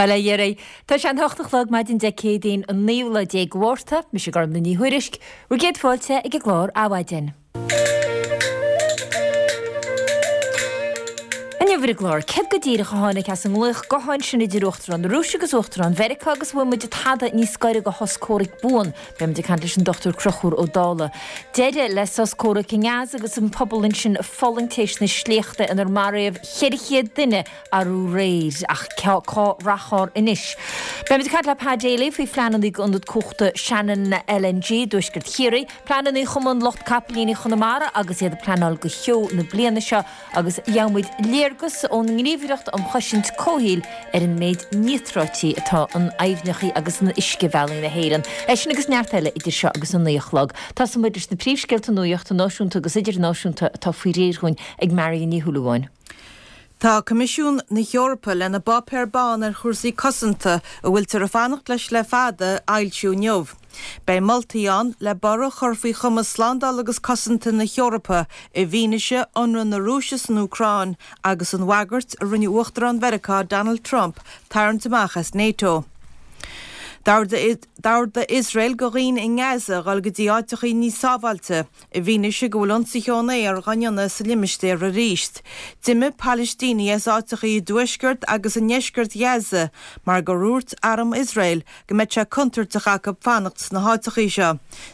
Bail ó Dhia oraibh. Tá sé an hocht a chlog maidin Dé Céadaoin an naoú lá déag de Mhárta. Mise Gormlaith Ní Thuairisg. Bhur gcéad fáilte ag an gclár Adhmhaidin. Inniu ar an gclár, céard go díreach a tháinig as an nglaoch gutháin sin idir Uachtarán na Rúise agus Uachtarán Mheiriceá agus an bhfuil muid tada níos gaire do shos comhraic buan? Beidh muid ag caint leis an Dr Conchúr Ó Dálaigh. Deireadh le sos comhraic i nGaza agus an pobal ansin ag fulaingt théis na sléachta inar maraíodh 400 duine arú aréir. Ach cá rachfar anois? Beimid ag caint le Pa Daly faoi phleananna d'ionad cumhachta Shannon LNG i dtuaisceart Chiarraí, pleananna Chumann Lucht Capaillíní Chonamara agus iad ag pleanáil do sheó na bliana seo agus gheobhaimid léargas ón nGníomhaireacht um Chosaint Comhshaoil ar an méid níotráití atá in aibhneacha agus in uiscebhealaí na hÉireann. É sin agus neart eile idir seo agus an 9 a chlog. Tosóidh muid leis na príomhscéalta nuachta náisiúnta agus idirnáisiúnta atá faoi réir dhúinn ag Marion Ní Shúilleabháin. Tá Coimisiún na hEorpa lena bpáipéar bán ar chúrsaí cosanta, a bhfuiltear ag fanacht leis le fada, a fhoilsiú inniu. Beidh moltaí ann le borradh a chur faoi chumas slándála agus cosanta na hEorpa i bhfianaise ionradh na Rúise san Úcráin agus an bhagairt a rinne Uachtarán Mheiriceá Donald Trump tarraingt amach as Nato. D'ordaigh Iosrael do dhaoine i nGaza dhul go dtí áiteachaí níos sábháilte. I bhfianaise go bhfuil ionsaithe ón aer dhá ndéanamh sa limistéar arís, d'imigh Palaistínigh as áiteachaí i dtuaisceart agus i ndeisceart Ghaza mar gur dhúirt arm Iosrael go mbeadh sé contúirteach acu fanacht sna háiteachaí seo.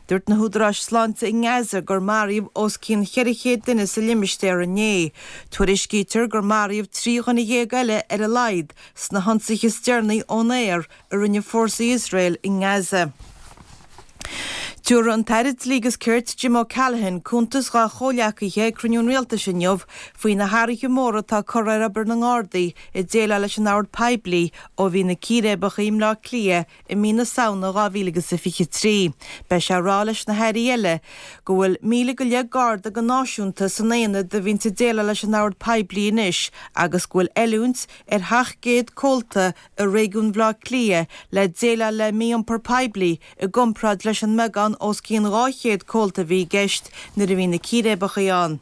Dúirt na húdaráis sláinte i nGaza gur maraíodh os cionn 400 duine sa limistéar inné. Tuairiscítear gur maraíodh 13 dhuine eile ar a laghad sna hionsaithe is deireanaí ón aer a rinne fórsaí Iosrael i nGaza. Tabharfaidh an tAire Dlí agus Cirt Jim O'Callaghan cuntas dá chomhghleacaithe ag cruinniú an Rialtais inniu faoi na hathruithe móra atá curtha ar obair na nGardaí ag déileáil leis an ord poiblí ó bhí na círéibeacha i mBleá Cliath i mí na Samhna 2023. Beidh sé ag rá leis na hairí eile go bhfuil 1,000 go leith Garda go náisiúnta san aonad a bhíonns ag déileáil leis an ord poiblí anois agus go bhfuil oiliúint ar 700 comhalta i réigiún Bhaile Átha Cliath le déileáil le mí-iompar poiblí i gcomparáid leis an mbeagán os cionn 200 comhalta a bhí i gceist nuair a bhí na círéibeacha ann.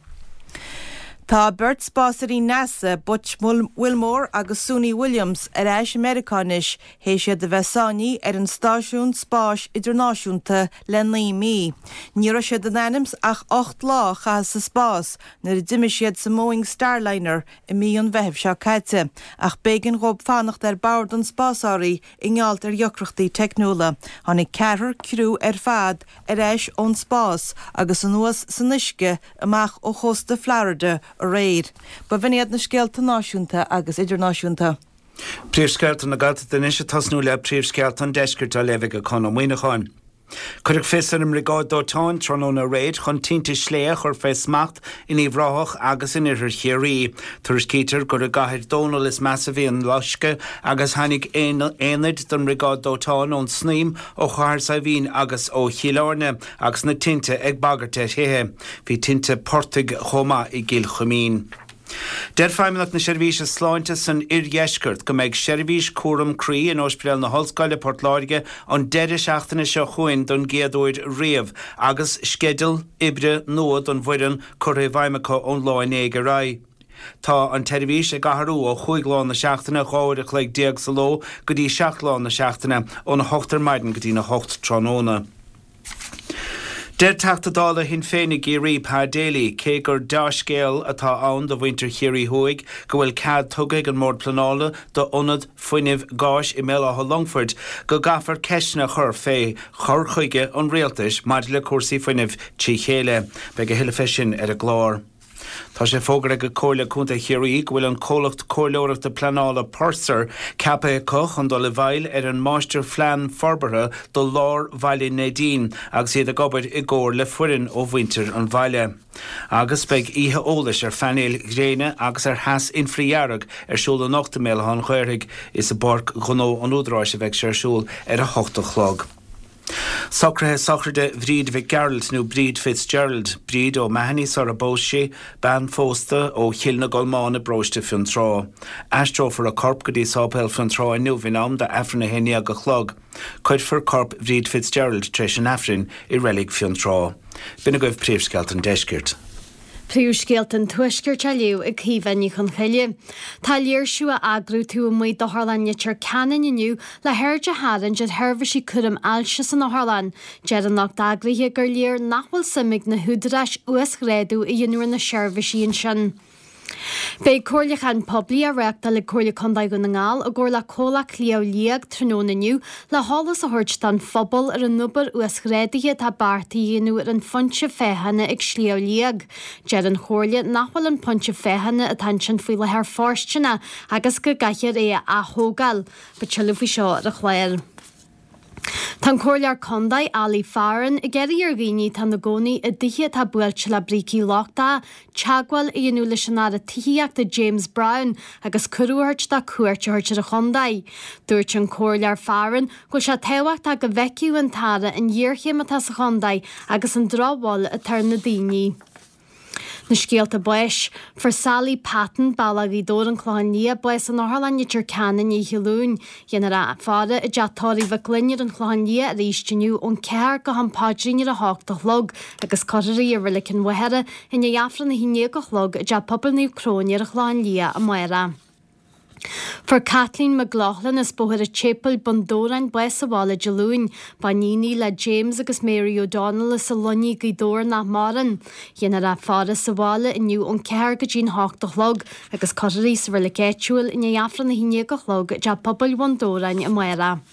Tá beirt spásairí NASA, Butch Wilmore agus Suni Williams, ar ais i Meiriceá anois théis iad a bheith sáinnithe ar an Stáisiún Spáis Idirnáisiúnta le 9 mí. Ní raibh siad in ainm 's ach 8 lá a chaitheamh sa spás nuair a d'imigh siad sa mBoeing Starliner i mí an Mheithimh seo caite, ach b'éigean dhóibh fanacht ar bord an spásárthaigh i ngeall ar dheacrachtaí teicniúla. Tháinig ceathrar criú ar fad ar ais ón spás agus anuas san uisce amach ó chósta Florida aréir. B'in iad na scéalta náisiúnta agus idirnáisiúnta. Príomhscéalta na Gaeltachta anois ag tosnú le príomhscéalta an Deiscirt á léamh ag Conn Ó Muíneacháin. Cuireadh fios ar an mBriogáid Dóiteáin tráthnóna aréir chun tinte sléibhe a chur fé smacht in Uíbh Ráthach agus in oirthear Chiarraí. Tuairiscítear gur i gCathair Dónall is measa a bhí an loisceadh agus tháinig aonaid den mBriogáid Dóiteáin ón Snaidhm, ó Chathair Saidhbhín agus ó Chill Airne agus na tinte ag bagairt ar thithe. Bhí tinte portaigh chomh maith i gCill Chuimín. Deir Feidhmeannacht na Seirbhíse Sláinte san Oirdheisceart go mbeidh seirbhís cúram croí in Ospidéal na hOllscoile, Port Láirge, an deireadh seachtaine seo chugainn don gcéad uair riamh agus sceideal oibre nua don bhfoireann curtha i bhfeidhm acu ón lá inné ar aghaidh. Tá an tseirbhís ag athrú ó chúig lá na seachtaine, 12 uair a chloig sa ló, go dtí 7 lá na seachtaine, óna hocht ar maidin go dtína hocht tráthnóna. Deir Teachta Dála Shinn Féin i gCiarraí, Pa Daly, cé gur deá-scéal atá ann do mhuintir Chiarraí Thuaidh go bhfuil cead tugtha ag an mBord Pleanála d'ionad fuinnimh gáis i mBéal Átha Longfoirt, go gcaithfear ceisteanna a chur fé chur chuige an rialtais maidir le cúrsaí fuinnimh trí chéile. Beidh a thuilleadh fé sin ar an gclár. Tá sé fógartha ag Comhairle Contae Chiarraí go bhfuil an comhlacht comhairleoireachta pleanála Purser ceaptha acu chun dul i bhfeighil ar an máistirphlean forbartha do lár bhaile Neidín agus iad ag obair i gcomhar le foireann ó mhuintir an bhaile. Agus beidh oíche eolais ar phainéil ghréine agus ar theas infridhearg ar siúl anocht i mBéal Átha an Ghaorthaidh. Is i bPáirc Ghnó an Údaráis a bheidh sé ar siúl ar a hocht a chlog. Socruithe sochraide Bhríd Mhic Gearailt nó Bríd Fitzgerald, Bríd O'Mahony sar a bpós sí, bean phósta ó Chill na gColmán i bparóiste Fionntrá. Aistreofar a corp go dtí Sáipéal Fionntrá inniu in am d'Aifreann 11 a chlog. Cuirfear corp Bhríd Fitzgerald tar éis an Aifrinn i Reilig Fionntrá. B'in agaibh príomhscéalta an deiscirt. Príomhscéalta an Tuaiscirt á léamh ag Caoimhe Ní Chonchoille. Tá léirsiú á eagrú taobh amuigh d'Otharlann Leitir Ceanainn inniu le haird a tharraingt ar sheirbhísí cúraim ailse san otharlann. Deir an lucht eagraithe gur léir nach bhfuil suim ag na húdaráis uasghrádú a dhéanamh ar na seirbhísí ansin. Beidh comhairliúchán poiblí á reáchtáil ag Comhairle Contae Dhún na nGall i gcomhar le Comhlacht Shliabh Liag tráthnóna inniu le heolas a thabhairt don phobal ar an obair uasghrádaithe atá beartaithe a dhéanamh ar an phointe féachana ag Sliabh Liag. Deir an Chomhairle nach bhfuil an pointe féachana atá ansin faoi láthair fóirsteanach agus go gcaithfear é a ath-thógáil. Beidh tuilleadh faoi seo ar an chlár. Tá an Comhairleoir Contae, Ali Farren, ag iarraidh ar dhaoine atá ina gcónaí i dtithe atá buailte le brící lochtacha teagmháil a dhéanamh leis an Aire Tithíochta James Browne agus cuireadh a thabhairt dó cuairt a thabhairt ar an chontae. Dúirt an Comhairleoir Farren go bhfuil sé tábhachtach go bhfeicfeadh an tAire an ghéarchéim atá sa chontae agus an drochbhail atá ar na daoine. Na scéalta báis. Fuair Sally Patton, Bealach Ghaoth Dobhair, An Clochán Liath, bás in Otharlann Leitir Ceanainn oíche Luain. Dhéanfar a faire i dteach tórraimh Mhic Fhloinn ar an Chlochán Liath arís inniu ón 4 go ham paidrín ar a hocht a chlog agus cuirfear í i Reilig an Mhachaire i ndiaidh Aifreann a 11 a chlog i dTeach Pobail Naomh Cróine ar an Chlochán Liath amárach. Fuair Kathleen McLaughlin as Bóthar an tSéipéil, Bun Dobhráin, bás sa bhaile Dé Luain. Ba iníon í le James agus Mary O'Donnell as an Luinnigh, Gaoth Dobhair nach maireann. Dhéanfar a faire sa bhaile inniu ón 4 go dtí'n 8 a chlog agus cuirfear í sa reilig áitiúil i ndiaidh Aifreann a 11 a chlog i dTeach Pobail Bhun Dobhráin amárach.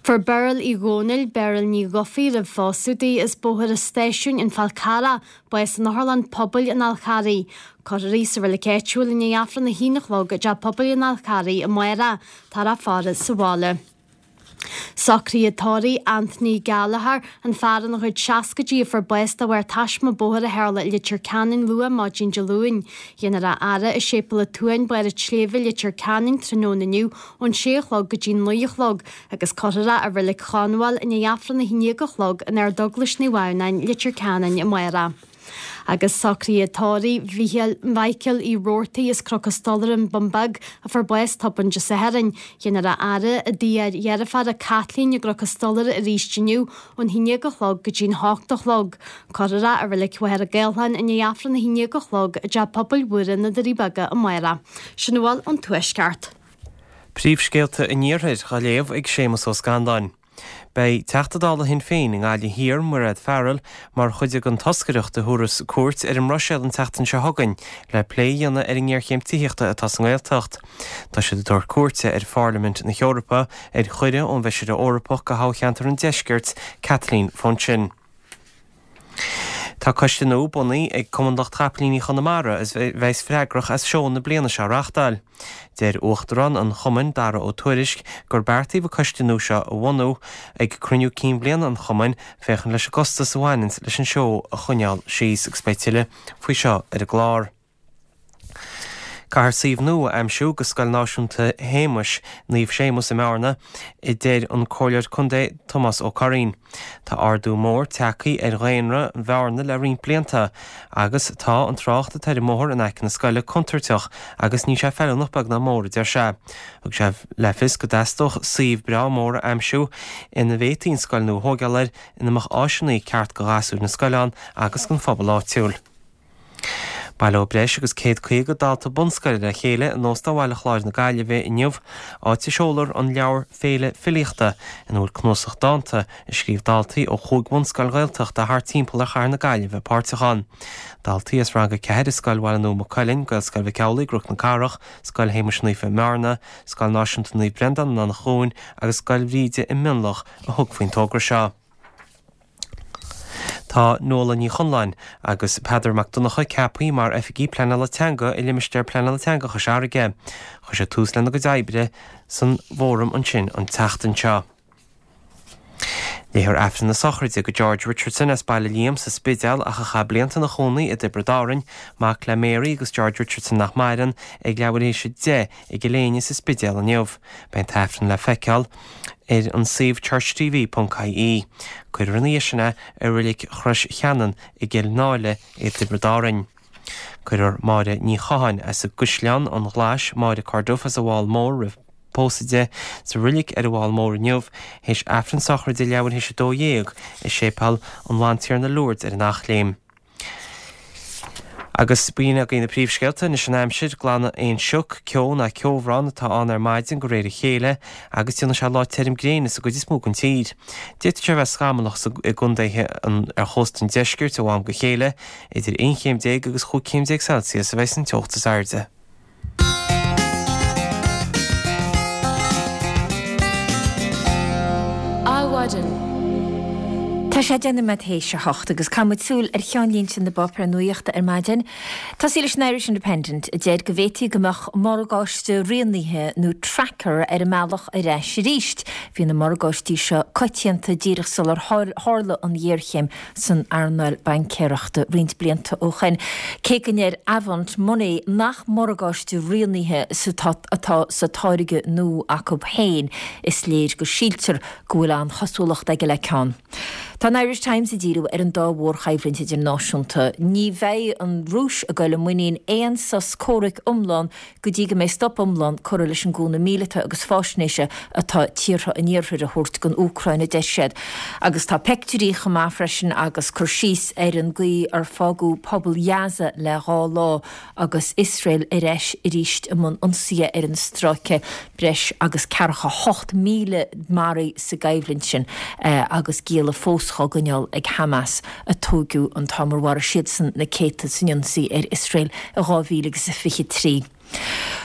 Fuair Beryl Uí Dhónaill, Beryl Ní Dhufaigh roimh phósadh di, as Bóthar an Stáisiúin, An Fál Carrach, bás in Otharlann Pobail an Fháil Charraigh. Cuirfear í sa reilig áitiúil i ndiaidh Aifreann a haon a chlog i dTeach Pobail an Fháil Charraigh amárach. Táthar á faire sa bhaile. Socruithe tórraimh Anthony Gallagher, an fear ina chuid seascaidí a fuair bás de bharr taisme bóthair a tharla i Leitir Ceanainn luath maidin Dé Luain. Dhéanfar a fhaire i Séipéal an tSuain, Barr an tSléibhe, Leitir Ceanainn tráthnóna inniu ón sé a chlog go dtí 9 a chlog agus cuirfear é i Reilig Chonbháil i ndiaidh Aifreann a 11 a chlog in Ardeaglais Naomh Adhamhnáin, Leitir Ceanainn amárach. Agus socruithe tórraimh Mhícheáil Mhichael Uí Robhartaigh as Cnoc an Stolaire, An Bun Beag, a fuair bás tobann Dé Sathairn. Dhéanfar a fhaire i dtigh a dheirféara Kathleen i gCnoc an Stolaire arís inniu ón 11 a chlog go dtí'n 8 a chlog. Cuirfear é i Reilig Mhachaire Gathlán i ndiaidh Aifreann a 11 a chlog i dTeach Pobail Mhuire na Doirí Beaga amárach. Sin a bhfuil ón Tuaisceart. Príomhscéalta an Iarthair á léamh ag Séamus Ó Scanláin. Beidh Teachta Dála Shinn Féin i nGaillimh Thiar, Mairéad Farrell, mar chuid den toscaireacht a thabharfas cuairt ar an mBruiséil an tseachtain seo chugainn le plé a dhéanamh ar an ngéarchéim tithíochta atá sa nGaeltacht. Tá siad ag tabhairt cuairte ar Pharlaimint na hEorpa ar chuireadh ón bhFeisire Eorpach do thoghcheantar an Deiscirt, Kathleen Funchion. Tá coiste nua bunaithe ag Cumann Lucht Chapaillíní Chonamara a bheas freagrach as seó na bliana seo a reáchtáil. Deir Uachtarán an chumainn, Dara Ó Tuairisg, gur beartaíodh an coiste nua seo a bhunú ag cruinniú cinn bhliana an chumainn féachaint leis an gcostas a bhaineanns leis an seó a choinneáil síos agus beidh tuilleadh faoi seo ar an gclár. Caithfear suíomh nua a aimsiú do Scoil Náisiúnta Shéamais, Naomh Séamus i mBearna, a deir an Comhairleoir Contae Tomás Ó Curraoin. Tá ardú mór tagtha ar dhaonra Bhearna le roinnt blianta agus tá an trácht atá ar an mbóthar in aice na scoile contúirteach agus níl sé feiliúnach beag ná mór, a deir sé. Thug sé le fios go dteastódh suíomh breá mór a aimsiú ina bhféadfaí an scoil nua a thóigeáil air ina mbeadh áiseanna ceart do ghasúir na scoile ann agus don phobal áitiúil. Baileoidh breis agus 150 dalta bunscoile le chéile in Óstán Bhaile Chláir na Gaillimhe inniu, áit a seolfar an leabhar Féile Filíochta, ina bhfuil cnuasach dánta a scríobh daltaí ó chúig bhunscoil Ghaeltachta thart timpeall ar chathair na Gaillimhe páirteach ann. Daltaí as Rang 4 i Scoil Bhaile Nua Maigh Cuilinn, Gaelscoil Mhic Amhlaigh i gCnoc na Cathrach, Scoil Shéamuis Naofa i mBearna, Scoil Náisiúnta Naomh Breandán in Eanach Dhúin agus Scoil Bhríde i Mionlach a thug faoin togra seo. Tá Nuala Ní Chonláin agus Peadar Mac Donncha ceaptha mar Oifigigh Pleanála Teanga i Limistéar Pleanála Teanga Chois Fharraige. Chuir siad tús lena gcuid oibre san bhfóram ansin an tseachtain seo. Léifear Aifreann na sochraide do George Richardson as Baile Liam sa Spidéal ach a chaith blianta ina chónaí i dTiobraid Árainn, mac le Mary agus George Richardson nach maireann, ag leathuair théis a 10 i gCill Éinne sa Spidéal inniu. Beidh an tAifreann le feiceáil ar an suíomh churchtv.ie. Cuirfear ina dhiaidh sin é i Reilig Chrois Cheanainn i gCill Náile i dTiobraid Árainn. Cuirfear Máire Ní Chatháin as an gCaisleán an Ghlais, Máire Corduff as an bhFál Mór roimh pósadh di, sa reilig ar an bhFál Mór inniu, théis Aifreann sochraide leathuair théis 12 i Séipéal an Bhantiarna Lourdes ar an Eachléim. Agus b'in agaibh na príomhscéalta, anois an aimsir, glanadh aon sioc, ceo ná ceobhrán atá ann ar maidin de réir a chéile agus déanfaidh sé lá tirim gréine sa gcuid is mó den tír. D'fhéadfadh sé a bheith scamallach i gcontaetha ar chósta an deiscirt ó am go chéile, idir 11 chéim agus 15 chéim Celsius a bheidh san teocht is airde. Adhmhaidin. Tá sé 10 nóiméad théis a hocht agus caithfidh muid súil ar cheannlínte na bpáipéar nuachta ar maidin. Tosaí leis an Irish Independent a deir go bhféadfaí go mbeadh morgáiste rianaithe nó tracker ar a mbealach ar ais arís. Bhí na morgáistí seo coitianta díreach sular tharla an ghéarchéim san earnáil baincéireachta roinnt blianta ó shin. Cé go ndeir Avant Money nach morgáiste rianaithe atá sa táirge nua acu féin, is léir go síltear go bhfuil an-chosúlacht aige le ceann. Tá an Irish Times ag díriú ar an dá mhórchoimhlint idirnáisiúnta. Ní bheidh an Rúis ag dul i muinín aon sos comhraic iomlán go dtí go mbeidh stop iomlán curtha leis an gcúnamh míleata agus faisnéise atá tíortha an Iarthair a thabhairt don Úcráin, a deir siad. Agus tá peictiúirí chomh maith freisin agus cur síos ar an gcaoi ar fágadh pobal Ghaza le dhá lá agus Iosrael ar ais arís i mbun ionsaithe ar an stráice, breis agus ceathracha 8,000 maraithe sa gcoimhlint sin agus gialla fós dhá gcoinneáil ag Hamas. a tóigeadh an t-am ar mharaigh siadsan na céadta san ionsaí ar Iosrael i 2023.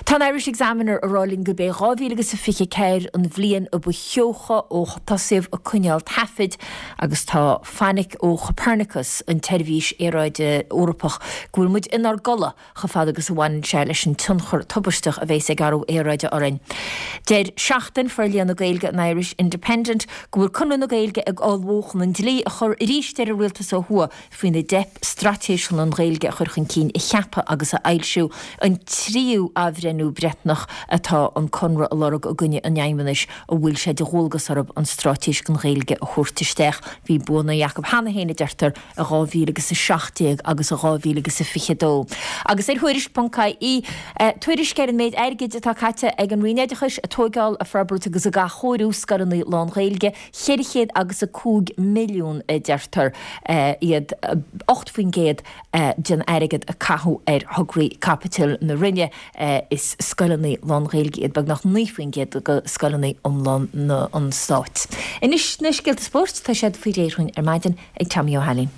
Tá an Irish Examiner ag rá linn gurb é 2024 an bhliain a ba theocha ó tosaíodh ag coinneáil taifid agus tá fainic ó Copernicus, an tseirbhís aeráide Eorpach, go bhfuil muid inár gcodladh chomh fada agus a bhaineann sé leis an tionchar tubaisteach a bheas ag athrú aeráide orainn. Deir Seachtain, Forlíonadh na Gaeilge an Irish Independent, go bhfuil Conradh na Gaeilge ag ullmhú chun an dlí a chur arís ar an rialtas ó thuaidh faoina dteip straitéis chun an Ghaeilge a chur chun cinn a cheapadh agus a fhoilsiú, an tríú athbhreithniú breithiúnach atá an Conradh a lorg i gcoinne an Fheidhmeannais a bhfuil sé de dhualgas orthu an straitéis don Ghaeilge a thabhairt isteach. Bhí buanna acu cheana féin, a deirtear. i 2017 agus i 2022. Agus ar Thuairisc.ie, tuairisc ar an méid airgid atá caite ag an Roinn Oideachais ag tóigeáil, ag forbairt agus ag athchóiriú scoileanna lán-Ghaeilge, 405 milliún a deirtear, iad 8% den airgead a caitheadh ar thograí caipitil na Roinne. Is scoileanna lán-Ghaeilge iad beagnach 9% de scoileanna iomlán an stáit. Anois na scéalta spóirt, tá siad faoi réir dhúinn ar maidin. ag Tommy Ó hAilín.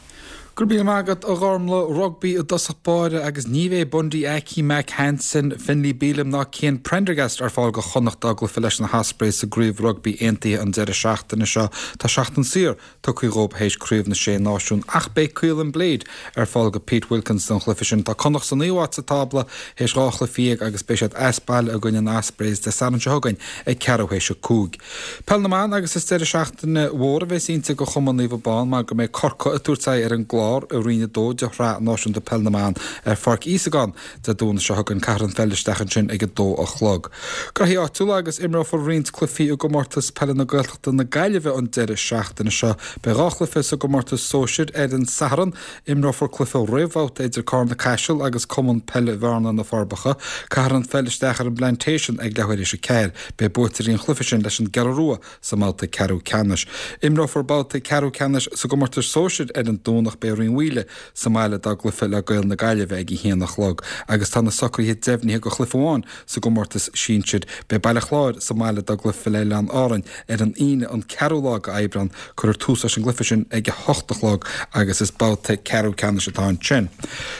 Go raibh míle maith agat, a Ghormlaith. Rugbaí i dtosach báire agus ní bheidh Bundee Aki, Mack Hansen, Finlay Bealham ná Cian Prendergast ar fáil do Chonnacht dá gcluiche leis na hOspreys sa gCraobh Rugbaí Aontaithe an deireadh seachtaine seo. Tá seachtain saor tugtha dhóibh théis Craobh na Sé Náisiún ach beidh Caolin Blade ar fáil do Pete Wilkins don chluiche sin. Tá Connacht sa naoú háit sa tábla théis 12 chluiche agus beidh siad as baile i gcoinne na Ospreys Dé Sathairn seo chugainn ag ceathrú théis a 5. Peil na mBan agus is deireadh seachtaine mhór a bheas inti do Chumann Naomh Abán mar go mbeidh Corcaigh ag tabhairt aghaidh ar an gClár i Roinn 2 de Shraith Náisiúnta Peil na mBan ar Pháirc Íosagáin Dé Domhnaigh seo chugainn. Caithfear an pheil isteach ansin ag 2 a chlog. Graithí áitiúla agus imreofar roinnt cluichí i gComórtas Peile na Gaeltachta na Gaillimhe an deireadh seachtaine seo. Beidh 2 chluiche sa gcomórtas sóisir ar an Satharn. Imreofar cluiche réamhbhabhta idir Cárna Caiseal agus Cumann Peile Bhearna Na Forbacha. Caithfear an pheil isteach ar an bPlantation ag leathuair théis a 4. Beidh buaiteoirí an chluiche sin leis an gCeathrú Rua sa mbabhta ceathrú ceannais. Imreofar babhta ceathrú ceannais sa gcomórtas sóisir ar an Domhnach. Beidh Rinn Mhaoile sa mbaile dá gcluiche le Gaeil na Gaillimhe ag a haon a chlog agus tá na socruithe deimhnithe do chluiche amháin sa gcomórtas sinsir. Beidh Baile Chláir sa mbaile dá gcluiche le Oileáin Árainn ar an Aoine an ceathrú lá de Aibreán. Cuirfear tús leis an gcluiche sin ag a hocht a chlog agus is babhta ceathrú ceannais atá ansin.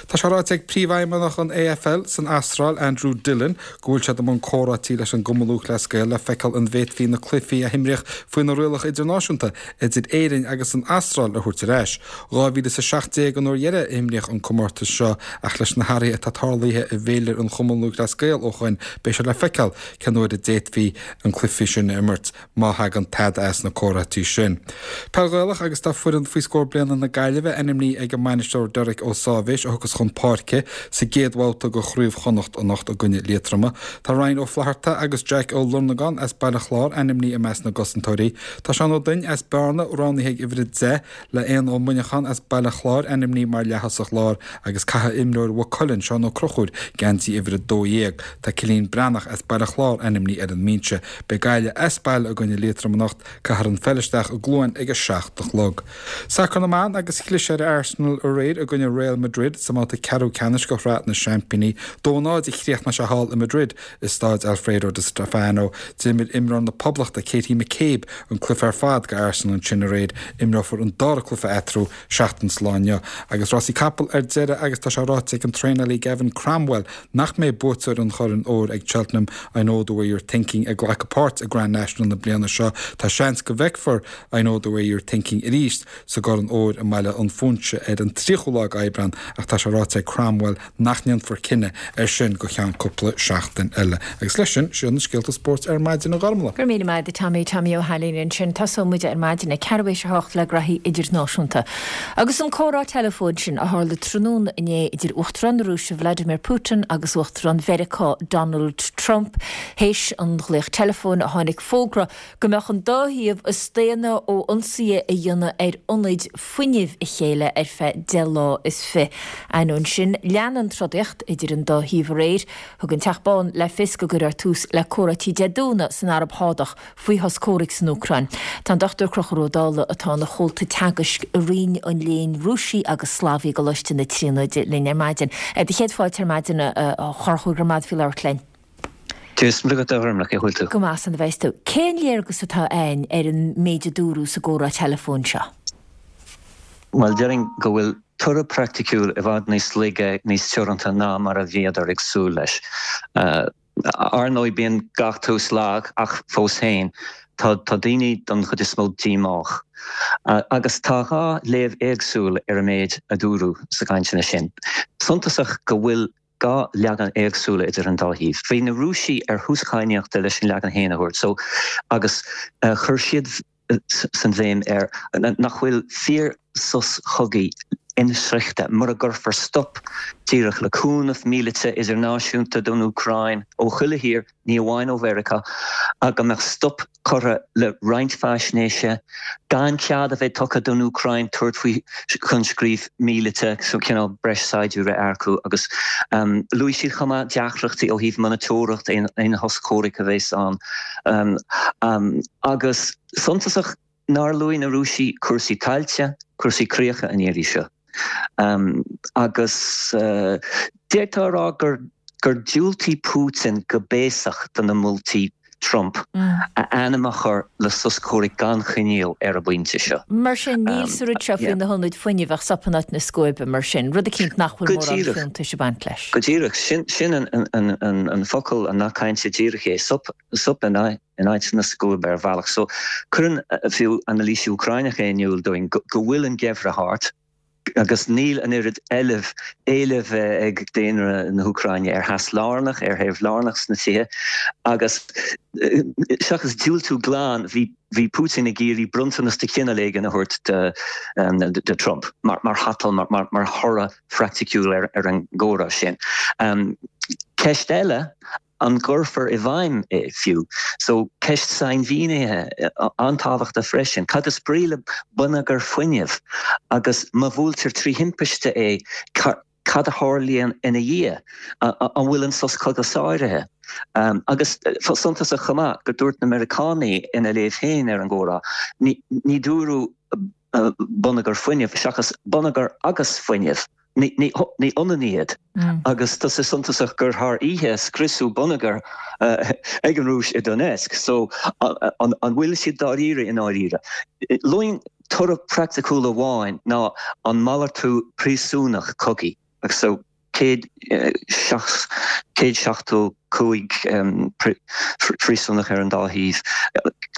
Tá sé ráite ag Príomhfheidhmeannach an AFL san Astráil, Andrew Dillon, go bhfuil siad i mbun comhráití leis an gCumann Lúthchleas Gael le feiceáil an bhféadfaí na cluichí a himríodh faoi na rialacha idirnáisiúnta idir Éirinn agus an Astráil a thabhairt ar ais. 2017 an uair dheiridh a imríodh an comórtas seo ach leis na hathruithe atá tarlaithe i bhféilire an Chumainn Lúthchleas Gael ó shoin beidh sé le feiceáil cén uair a d'fhéadfaí an cluiche sin a imirt. má thagann tada as na comhráití sin. Peil Ghaelach agus tá foireann faoi scór bliana na Gaillimhe ainmnithe ag an mbainisteoir Derek Ó Sáibhéis a thiocfas chun páirce sa gcéad bhabhta de Chraobh Chonnacht anocht i gcoinne Liatroma. Tá Ryan Ó Flatharta agus Jack Ó Lornagáin as Baile Chláir ainmnithe i measc na gcosantóirí. Tá Seán Ó Duinn as Bearna roghnaithe ag uimhir 10 le Éanna Ó Muineacháin as Baile. an Chláir ainmnithe mar leath-thosach láir agus caithfidh imreoir Mhaigh Cuilinn, Seán Ó Conchúir, geansaí uimhir 12. Tá Cillian Breathnach as Baile Chláir ainmnithe ar an mbinse. Beidh Gaillimh as baile i gcoinne Liatroim anocht. Caithfear an pheil isteach i gCluain ag 7 a chlog. Sacar na mBan agus chlis ar Arsenal aréir i gcoinne Real Madrid sa mbabhta ceathrú ceannais de Shraith na Seaimpíní. 2-0 a chríochnaigh sé thall i Madrid i Stáid Alfredo Di Stefano. D'imir imreoir na Poblachta, Katie McCabe, an cluiche ar fad do Arsenal ansin aréir. Imreofar an dara cluiche eatarthu seachtain sa lá inniu. Agus rásaí capall ar deireadh agus tá sé ráite ag an traenálaí Gavin Cromwell nach mbeidh buaiteoir an Choirn Óir ag Cheltenham, I Know The Way You're Thinking, ag glacadh páirt i Grand National na bliana seo. Tá seans go bhfeicfear I Know The Way You're Thinking arís sa gCorn Óir i mBaile an Phúinse ar an 30ú lá d'Aibreán ach tá sé ráite ag Cromwell nach ndéanfar cinneadh air sin go cheann cúpla seachtain eile. Agus leis sin, sin iad na scéalta spóirt ar maidin, a Ghormlaith. Go raibh míle maith agat, Tommy, Tommy Ó hAilín ansin. Tosóidh muid ar maidin ag ceathrú théis a hocht le graithí idirnáisiúnta. Agus an comhrá teileafóin sin a tharla tráthnóna inné idir Uachtarán na Rúise Vladimir Putin agus Uachtarán Mheiriceá Donald Trump, théis an ghlaoch teileafóin a tháinig fógra go mbeadh an dá thaobh ag staonadh ó ionsaithe a dhéanamh ar ionaid fuinnimh a chéile ar feadh 10 lá is fi. Ainneoin sin, lean an trodaíocht idir an dá thaobh aréir. Thug an Teach Bán le fios go gcuirfear tús le comhráití Dé Domhnaigh san Araib Shádach faoi shos comhraic san Úcráin. Tá an Dr Conchúr Ó Dálaigh, atá ina chomhalta teagaisc i Roinn an Léinn Rúisigh agus Slavaigh i gColáiste na Tríonóide linn ar maidin. Do chéad fáilte ar maidin, a Chonchúir, go raibh maith agat faoi labhairt linn. Dia is Muire duit a Ghormlaith, cén chaoi a bhfuil tú? Go maith san a bheas tú. Cén léargas atá a'inn ar an méid a dúradh sa gcomhrá teileafóin seo? Bhuel, déarfainn go bhfuil toradh praiticiúil i bhfad níos laige, níos teoranta ná mar a bhíodar ag súil leis. Ar ndóigh, bíonn gach tús lag, ach fós féin, tá daoine don chuid is mó díomách. Agus tá dhá léamh éagsúil ar an méid a dúradh sa gcainteanna sin. Suntasach go bhfuil 2 leagan éagsúla idir an dá thaobh. Bhí na Rúisigh ar thús cadhnaíochta leis an leagan féin a thabhairt so agus chuir siad san bhéim air nach bhfuil fíor sos chogaidh insroichte mura gcuirfear stop díreach le cúnamh míleata idirnáisiúnta don Úcráin ó chuile thír, ní amháin ó Mheiriceá, go mbeadh stop curtha le roinnt faisnéise, gan cead a bheith tugtha don Úcráin tabhairt faoi choinscríobh míleata, so cineál breis saighdiúirí a earcú, agus luaigh siad chomh maith deacrachtaí ó thaobh monatóireacht aon shos comhraic a bheas ann. Agus suntasach nár luaigh na Rúisigh cúrsaí tailte, cúrsaí críocha an iarraidh seo. Agus d'fhéadfá a rá gur gur diúltaigh Putin go béasach do na moltaí Trump a ainm a chur le sos comhraic gan choinníoll ar an bpointe seo. Mar sin, níl sa rud seo faoi na hionaid fuinnimh ach sop in áit na scuaibe, mar sin, rud eicínt nach bhfuil mórán fiúntais ag baint leis. Go díreach. Sin an focal, an nath cainte díreach é, sop in áit na scuaibe ar bhealach. So, cuireann fiú anailísí Úcráineacha in iúl dúinn go bhfuil an geimhreadh thart agus níl an oiread eilimh, éilimh ag daonra na hÚcráine ar theas lárnach, ar théamh lárnach sna tithe agus seachas diúltú glan, bhí bhí Putin ag iarraidh bronntanas de chineál éigin a thabhairt do Trump mar mar thatal, mar mar thoradh phraiticiúil ar ar an gcomhrá sin. Ceist eile an gcuirfear i bhfeidhm é fiú. So, ceist sainmhínithe an-tábhachtach freisin. Cad is brí le bonneagar fuinnimh? Agus má bhuailtear trí thimpiste é, cad a tharlaíonn ina dhiaidh? An bhfuil an sos cogaidh sáraithe? Agus suntasach chomh maith go dúirt na Meiriceánaigh ina léamh féin ar an gcomhrá, ní dúradh bonneagar fuinnimh seachas bonneagar agus fuinneamh. Ní hionann iad. Agus tá sé suntasach gur thar oíche a scriosadh bonneagar ag an Rúis i Donetsk. So, an bhfuil siad dáiríre i ndáiríre? Luaim toradh praiticiúil amháin ná an malartú príosúnach cogaidh. So, 175 príosúnach ar an dá thaobh.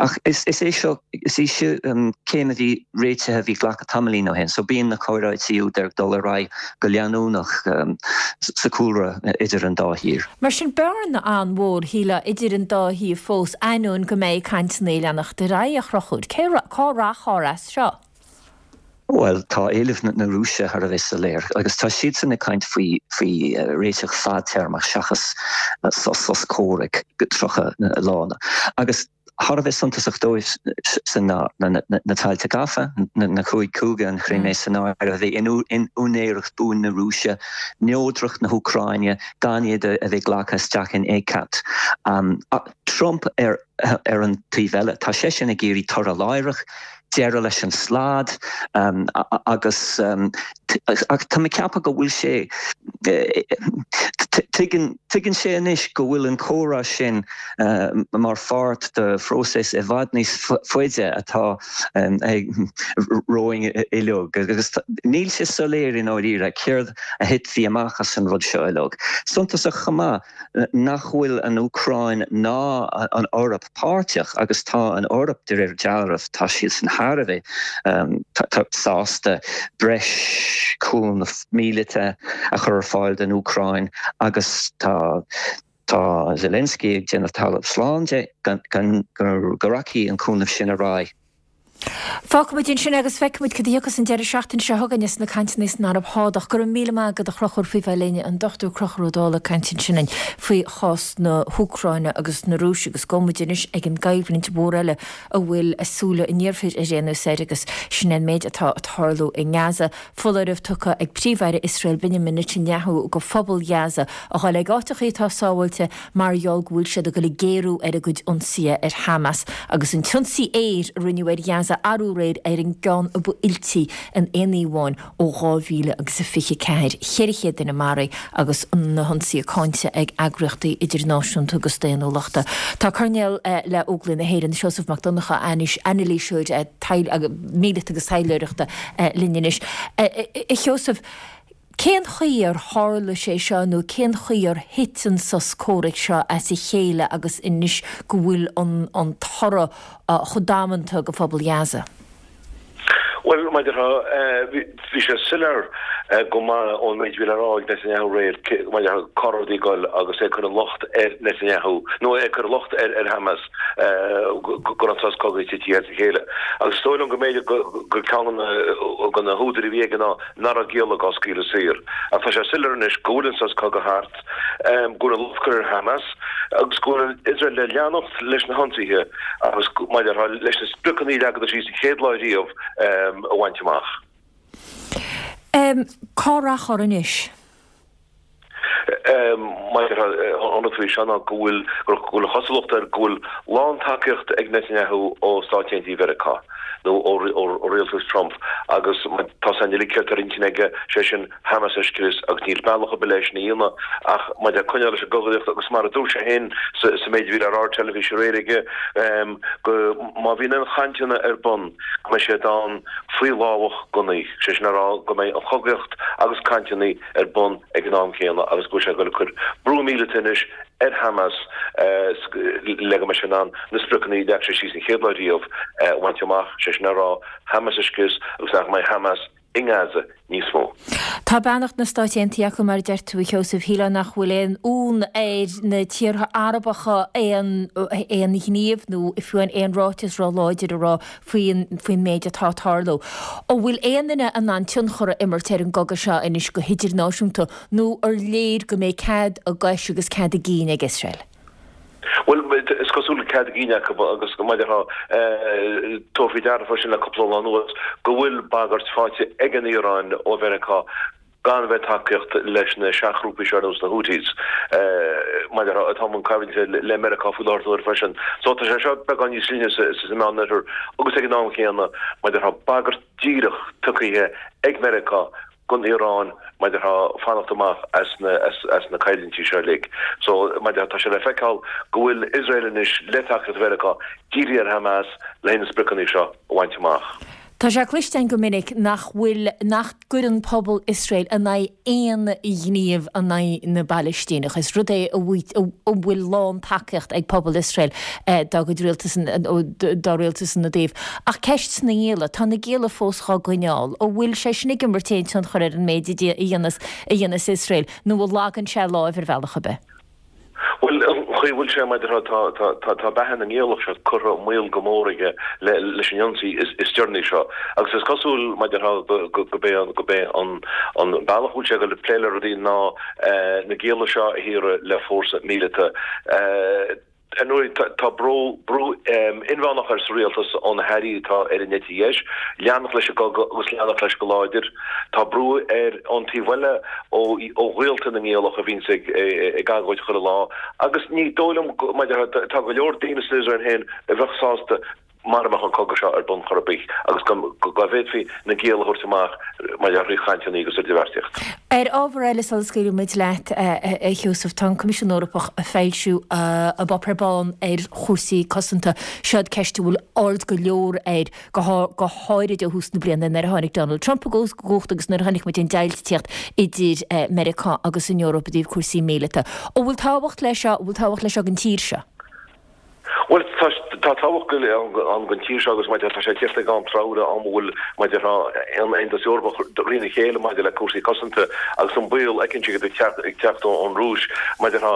Ach is é seo, is í seo céim a bhí réitithe, a bhí glactha tamaillín ó shin, so bíonn na comhráití úd ag dul ar aghaidh go leanúnach sa chúlra idir an dá thír. Mar sin, bearna an-mhór, shílfeá, idir an dá thaobh fós, ainneoin go mbeidh cainteanna ag leanacht ar aghaidh, a Chonchúir. Cé, cá rachfar as seo? Bhuel, tá éilimh na Rúise thar a bheith soiléir agus tá siadsan ag caint faoi faoi réiteach fadtéarmach seachas sos comhraic 30 lá. Agus. thar a bheith suntasach dóibh san ná na tailte gafa, na chúig chúige, an Chrimé san áireamh, a bheith in úinéireacht buan na Rúise, neodracht na hÚcráine, gan iad a bheith glactha isteach in ECAT. Trump ar ar an taobh eile, tá seisean ag iarraidh toradh láithreach, deireadh leis an slad agus ach tá mé ag ceapadh go bhfuil sé, tuigeann, tuigeann sé anois go bhfuil an comhrá sin mar pháirt de phróiseas i bhfad níos faide atá romhainn uilig agus níl sé soiléir i ndáiríre céard a thitfidh amach as an rud seo uilig. Suntasach chomh maith, nach bhfuil an Úcráin ná an Eoraip páirteach, agus tá an Eoraip, de réir dealraimh, tá siadsan thar a bheith sásta breis cúnamh míleata a chur ar fáil don Úcráin agus tá tá Zelensky ag déanamh talamh slán de go rachaidh an cúnamh sin ar aghaidh. Fágfaimid ansin é agus feicfimid cad a thiocfas an deireadh seachtaine seo chugainn as na cainteanna san Araib Shádach. Go raibh míle maith agat a Chonchúir faoi bheith linn, an Dr Conchúr Ó Dálaigh ag caint ansin linn faoi chás na hÚcráine agus na Rúise agus gabhfaidh muid anois ag an gcoimhlint mhór eile a bhfuil súile an iarthair ar aon nós air agus sin é an méid atá ag tarlú i nGaza. Foláireamh tugtha ag Príomh-Aire Iosrael Benjamin Netanyahu go phobal Ghaza a dhul ag áiteachaí atá sábháilte mar gheall go bhfuil siad ag dul ag géarú ar a gcuid ionsaithe ar Hamas agus an t-ionsaí aeir a rinneadh ar Ghaza arú aréir ar an gceann a ba fhuiltí in aon oíche amháin ó 2000 agus a 24, 400 duine maraithe agus na hionsaithe cáinte ag eagraíochtaí idirnáisiúnta agus daonnúlachta. Tá Coirnéal le Óglaigh na hÉireann, Seosamh Mac Donncha, anailíseoir míleata agus taidhleoireachta linn anois. A Sheosaimh, cén chaoi ar tharla sé seo nó cén chaoi ar thit an sos comhraic seo as a chéile agus anois go bhfuil an toradh chomh damanta go phobal Ghaza? Bhuel, mar a déarfá, bhí sé soiléir go maith ón méid a bhí le rá ag Netanyahu aréir, mar a déarfá, cá raibh rudaí ag dul agus é ag cur an locht ar Netanyahu, nó é ag cur an locht ar Hamas go raibh an sos cogaidh titithe as a chéile. Agus is dóigh liom go mb'fhéidir gur ceann de na húdair a bhí aige ná nach raibh giallaigh á scaoileadh saor. Ach tá sé soiléir anois go bhfuil an sos cogaidh thart. go bhfuil an locht curtha ar Hamas agus go bhfuil Iosrael le leanacht leis na hionsaithe agus, mar a déarfá, leis na spriocanna a leagadar síos an chéad lá riamh a bhaint amach. Cá rachfar anois? Mar a déarfá, an rud faoi seo ná go bhfuil go bhfuil an chosúlacht air go bhfuil lán-tacaíocht ag Netanyahu ó Stáit Aontaithe Mheiriceá nó ó rialtas Trump agus tá san uilig ceart ar intinn aige, sé sin, Hamas a scrios agus níl bealach ar bith leis sin a dhéanamh ach maidir le coinneáil leis an gcogaíocht agus mar a dúirt sé féin sa méid a bhí le rá ar teilifís aréir aige go má bhíonn aon chainteanna ar bun go mbeidh siad ann faoi lámhach gunnaí, sé sin a rá go mbeidh an chogaíocht agus cainteanna ar bun ag an am céanna agus go bhfuil sé ag dul ag cur brú míleata anois ar Hamas le go mbeidh sé in ann na spriocanna a leag sé síos an chéad lá riamh a bhaint amach, sé sin a rá Hamas a scrios agus nach mbeidh Hamas i nGaza níos mó. Tá beannacht na Stáit Aontaithe acu, mar a deir tú, a Sheosaimh. Shílfeá nach bhfuil aon fhonn ar na tíortha Arabacha aon aon ghníomh nó fiú aon ráiteas ró-láidir a rá faoin faoin méid atá ag tarlú. An bhfuil aon duine in ann tionchar a imirt ar an gcogadh seo anois go hidirnáisiúnta nó ar léir go mbeidh cead a gcois agus cead a gcinn ag Iosrael? Bhuel, is cosúil go bhfuil cead a gcinn acu agus mar a déarfá, tabhair faoi deara freisin le cúpla lá anuas go bhfuil bagairt faighte ag an Iaráin ó Mheiriceá gan bheith ag tacaíocht leis na seachghrúpaí seo ar nós na Houthis, mar a déarfá, atá i mbun coimhlinte le Meiriceá faoi láthair na huaire freisin. So tá sé seo beagán níos linne sa Meánoirthear agus ag an am chéanna, mar a déarfá, bagairt díreach tugtha ag Meiriceá don Iaráin mar a déarfá fanacht amach as na as na coimhlintí seo uilig. So mar a déarfá tá sé le feiceáil go bhfuil Iosrael anois le tacaíocht Mheiriceá dírithe ar Hamas le na spriocanna seo a bhaint amach. Tá sé cloiste againn go minic nach bhfuil nach gcuireann pobal Iosrael in aghaidh aon ghníomh in aghaidh na bPalaistíneach. Is rud é a bhfuil lán tacaíocht ag pobal Iosrael dá gcuid rialtas dá rialtas ina dtaobh. Ach ceist na ngialla, tá na gialla fós dhá gcoinneáil. An bhfuil sé sin ag imirt aon tionchar ar an méid a dhéanas a dhéanas Iosrael nó an lagann sé a láimh ar bhealach ar bith? Bhuel, an chaoi a bhfuil sé, mar a déarfá, tá beatha na ngiallach seo curtha i mbaol go mór aige leis an ionsaí is deireanaí seo. Agus is cosúil, mar a déarfá, gurb é an bealach a bhfuil sé ag dul ag plé le rudaí ná na gialla seo a shaoradh le fórsa míleata. Ar ndóigh, tá brú inmheánach ar sa rialtas ó na hairí atá ar an eite dheis leanacht leis an gcogadh agus leanacht leis go láidir. Tá brú ar ón taobh eile ó ghaolta na ngiallach a bhíonns ag agóid chuile lá agus ní dóigh liom go, mar a déarfá, tá go leor daoine san Iosrael féin a bheadh sásta mara mbeadh an cogadh seo ar bun chor ar bith agus go bhféadfaí na gialla a thabhairt amach mar gheall ar chainteanna agus idirbheartaíocht. Ar ábhar eile sula scaoilfidh muid leat, a Sheosaimh, tá an Coimisiún Eorpach ag foilsiú a bpáipéar bán ar chúrsaí cosanta. Seod ceist a bhfuil aird go leor air, go háirid ó thús na bliana nuair a tháinig Donald Trump i gcumhacht agus nuair a chonaic muid an deighilt ag tíocht idir Meiriceá agus an Eoraip i dtaobh cúrsaí míleata. An bhfuil tábhacht leis seo? An bhfuil tábhacht leis seo don tír seo? Bhuel, tá tábhacht ann don tír seo agus mar a déarfá tá sé ag tíocht ag am treabhra, am a bhfuil mar a déarfá an Aontas Eorpach trína chéile maidir le cúrsaí cosanta agus an baol eicínt ag teacht ón Rúis. Mar a déarfá,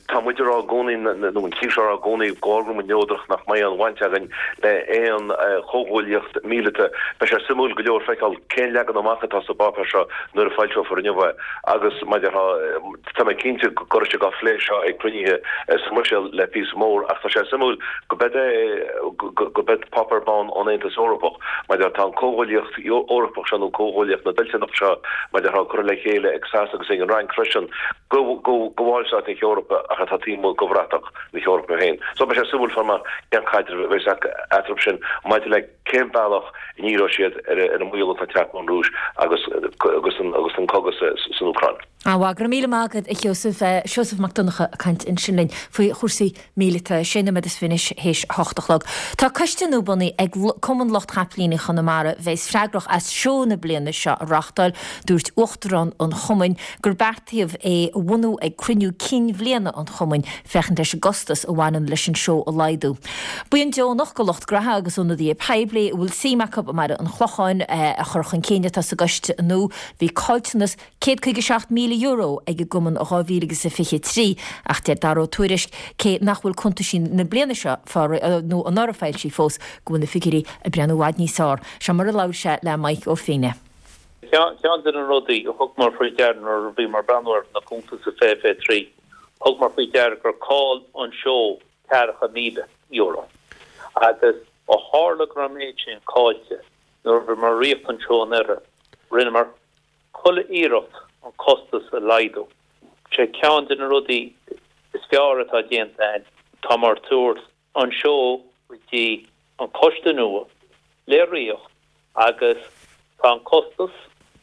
tá muid ag rá i gcónaí, nó an tír seo ag rá i gcónaí, go bhfuil muid neodrach, nach mbeidh aon bhaint againn le aon chomhghuaillíocht mhíleata. Beidh sé suimiúil go leor feiceáil cén leagan amach atá sa bpáipéar seo nuair a foilseofar inniu é agus mar a déarfá, Tá mé cinnte go raibh siad á phlé seo ag cruinnithe sa mBruiséil le píosa mór ach tá sé suimiúil go beid é go beid páipéar bán ón Aontas Eorpach mar a déarfá tá an Comhghuaillíocht Eorpach seo nó Comhghuaillíocht na dtoilteanach seo mar a déarfá curtha le chéile ag Sasana agus ag an Fhrainc freisin go bhallstáit na hEorpa ach atá taobh amuigh de bhratach na hEorpa féin. So beidh sé suimiúil fáil amach cén caidreamh a bheas eatarthu sin maidir le cén bealach a ndíreoidh siad ar an mbaol atá ag teacht ón Rúis agus agus an cogadh san Úcráin. Ana mhaith, go raibh míle maith agat a Sheosaimh. Seosamh Mac Donncha ag caint ansin linn faoi chúrsaí míleata. Sé nóiméad is fiche anois théis a hocht a chlog. Tá coiste nua bunaithe ag Cumann Lucht Chapaillíní Chonamara a bheas freagrach as seó na bliana seo a reáchtáil. Dúirt Uachtarán an Chumainn gur beartaíodh é a bhunú ag cruinniú cinn bhliana an Chumainn féachaint leis an gcostas a bhaineann leis an seó a laghdú. Buíon deonach de lucht graithe agus ionadaithe poiblí a bhfuil suim acu i mBaile an Chlocháin a chur chun cinn atá sa gcoiste nua. Bhí caillteanas €157,000 ag an gcumann i 2023 ach deir Dara Ó Tuairisg, cé nach bhfuil cuntaisí na bliana seo nó anuraidh foilsithe fós, go bhfuil na figiúirí ag breathnú i bhfad níos fearr. Seo mar a labhair sé le Mike Ó Fiaich. Ceann de na rudaí a thugamar faoi deara nuair a bhíomar ag breathnú ar na cuntais i 2023, thugamar faoi deara gur chaill an seó €40,000 agus ó tharla go raibh an méid sin caillte nuair a bhíomar ag reáchtáil an seó anuraidh, rinneamar chuile iarracht an costas a laghdú. Sé ceann de na rudaí is fearr atá déanta againn, táimar ag tabhairt an seó go dtí an coiste nua le reacht agus tá an costas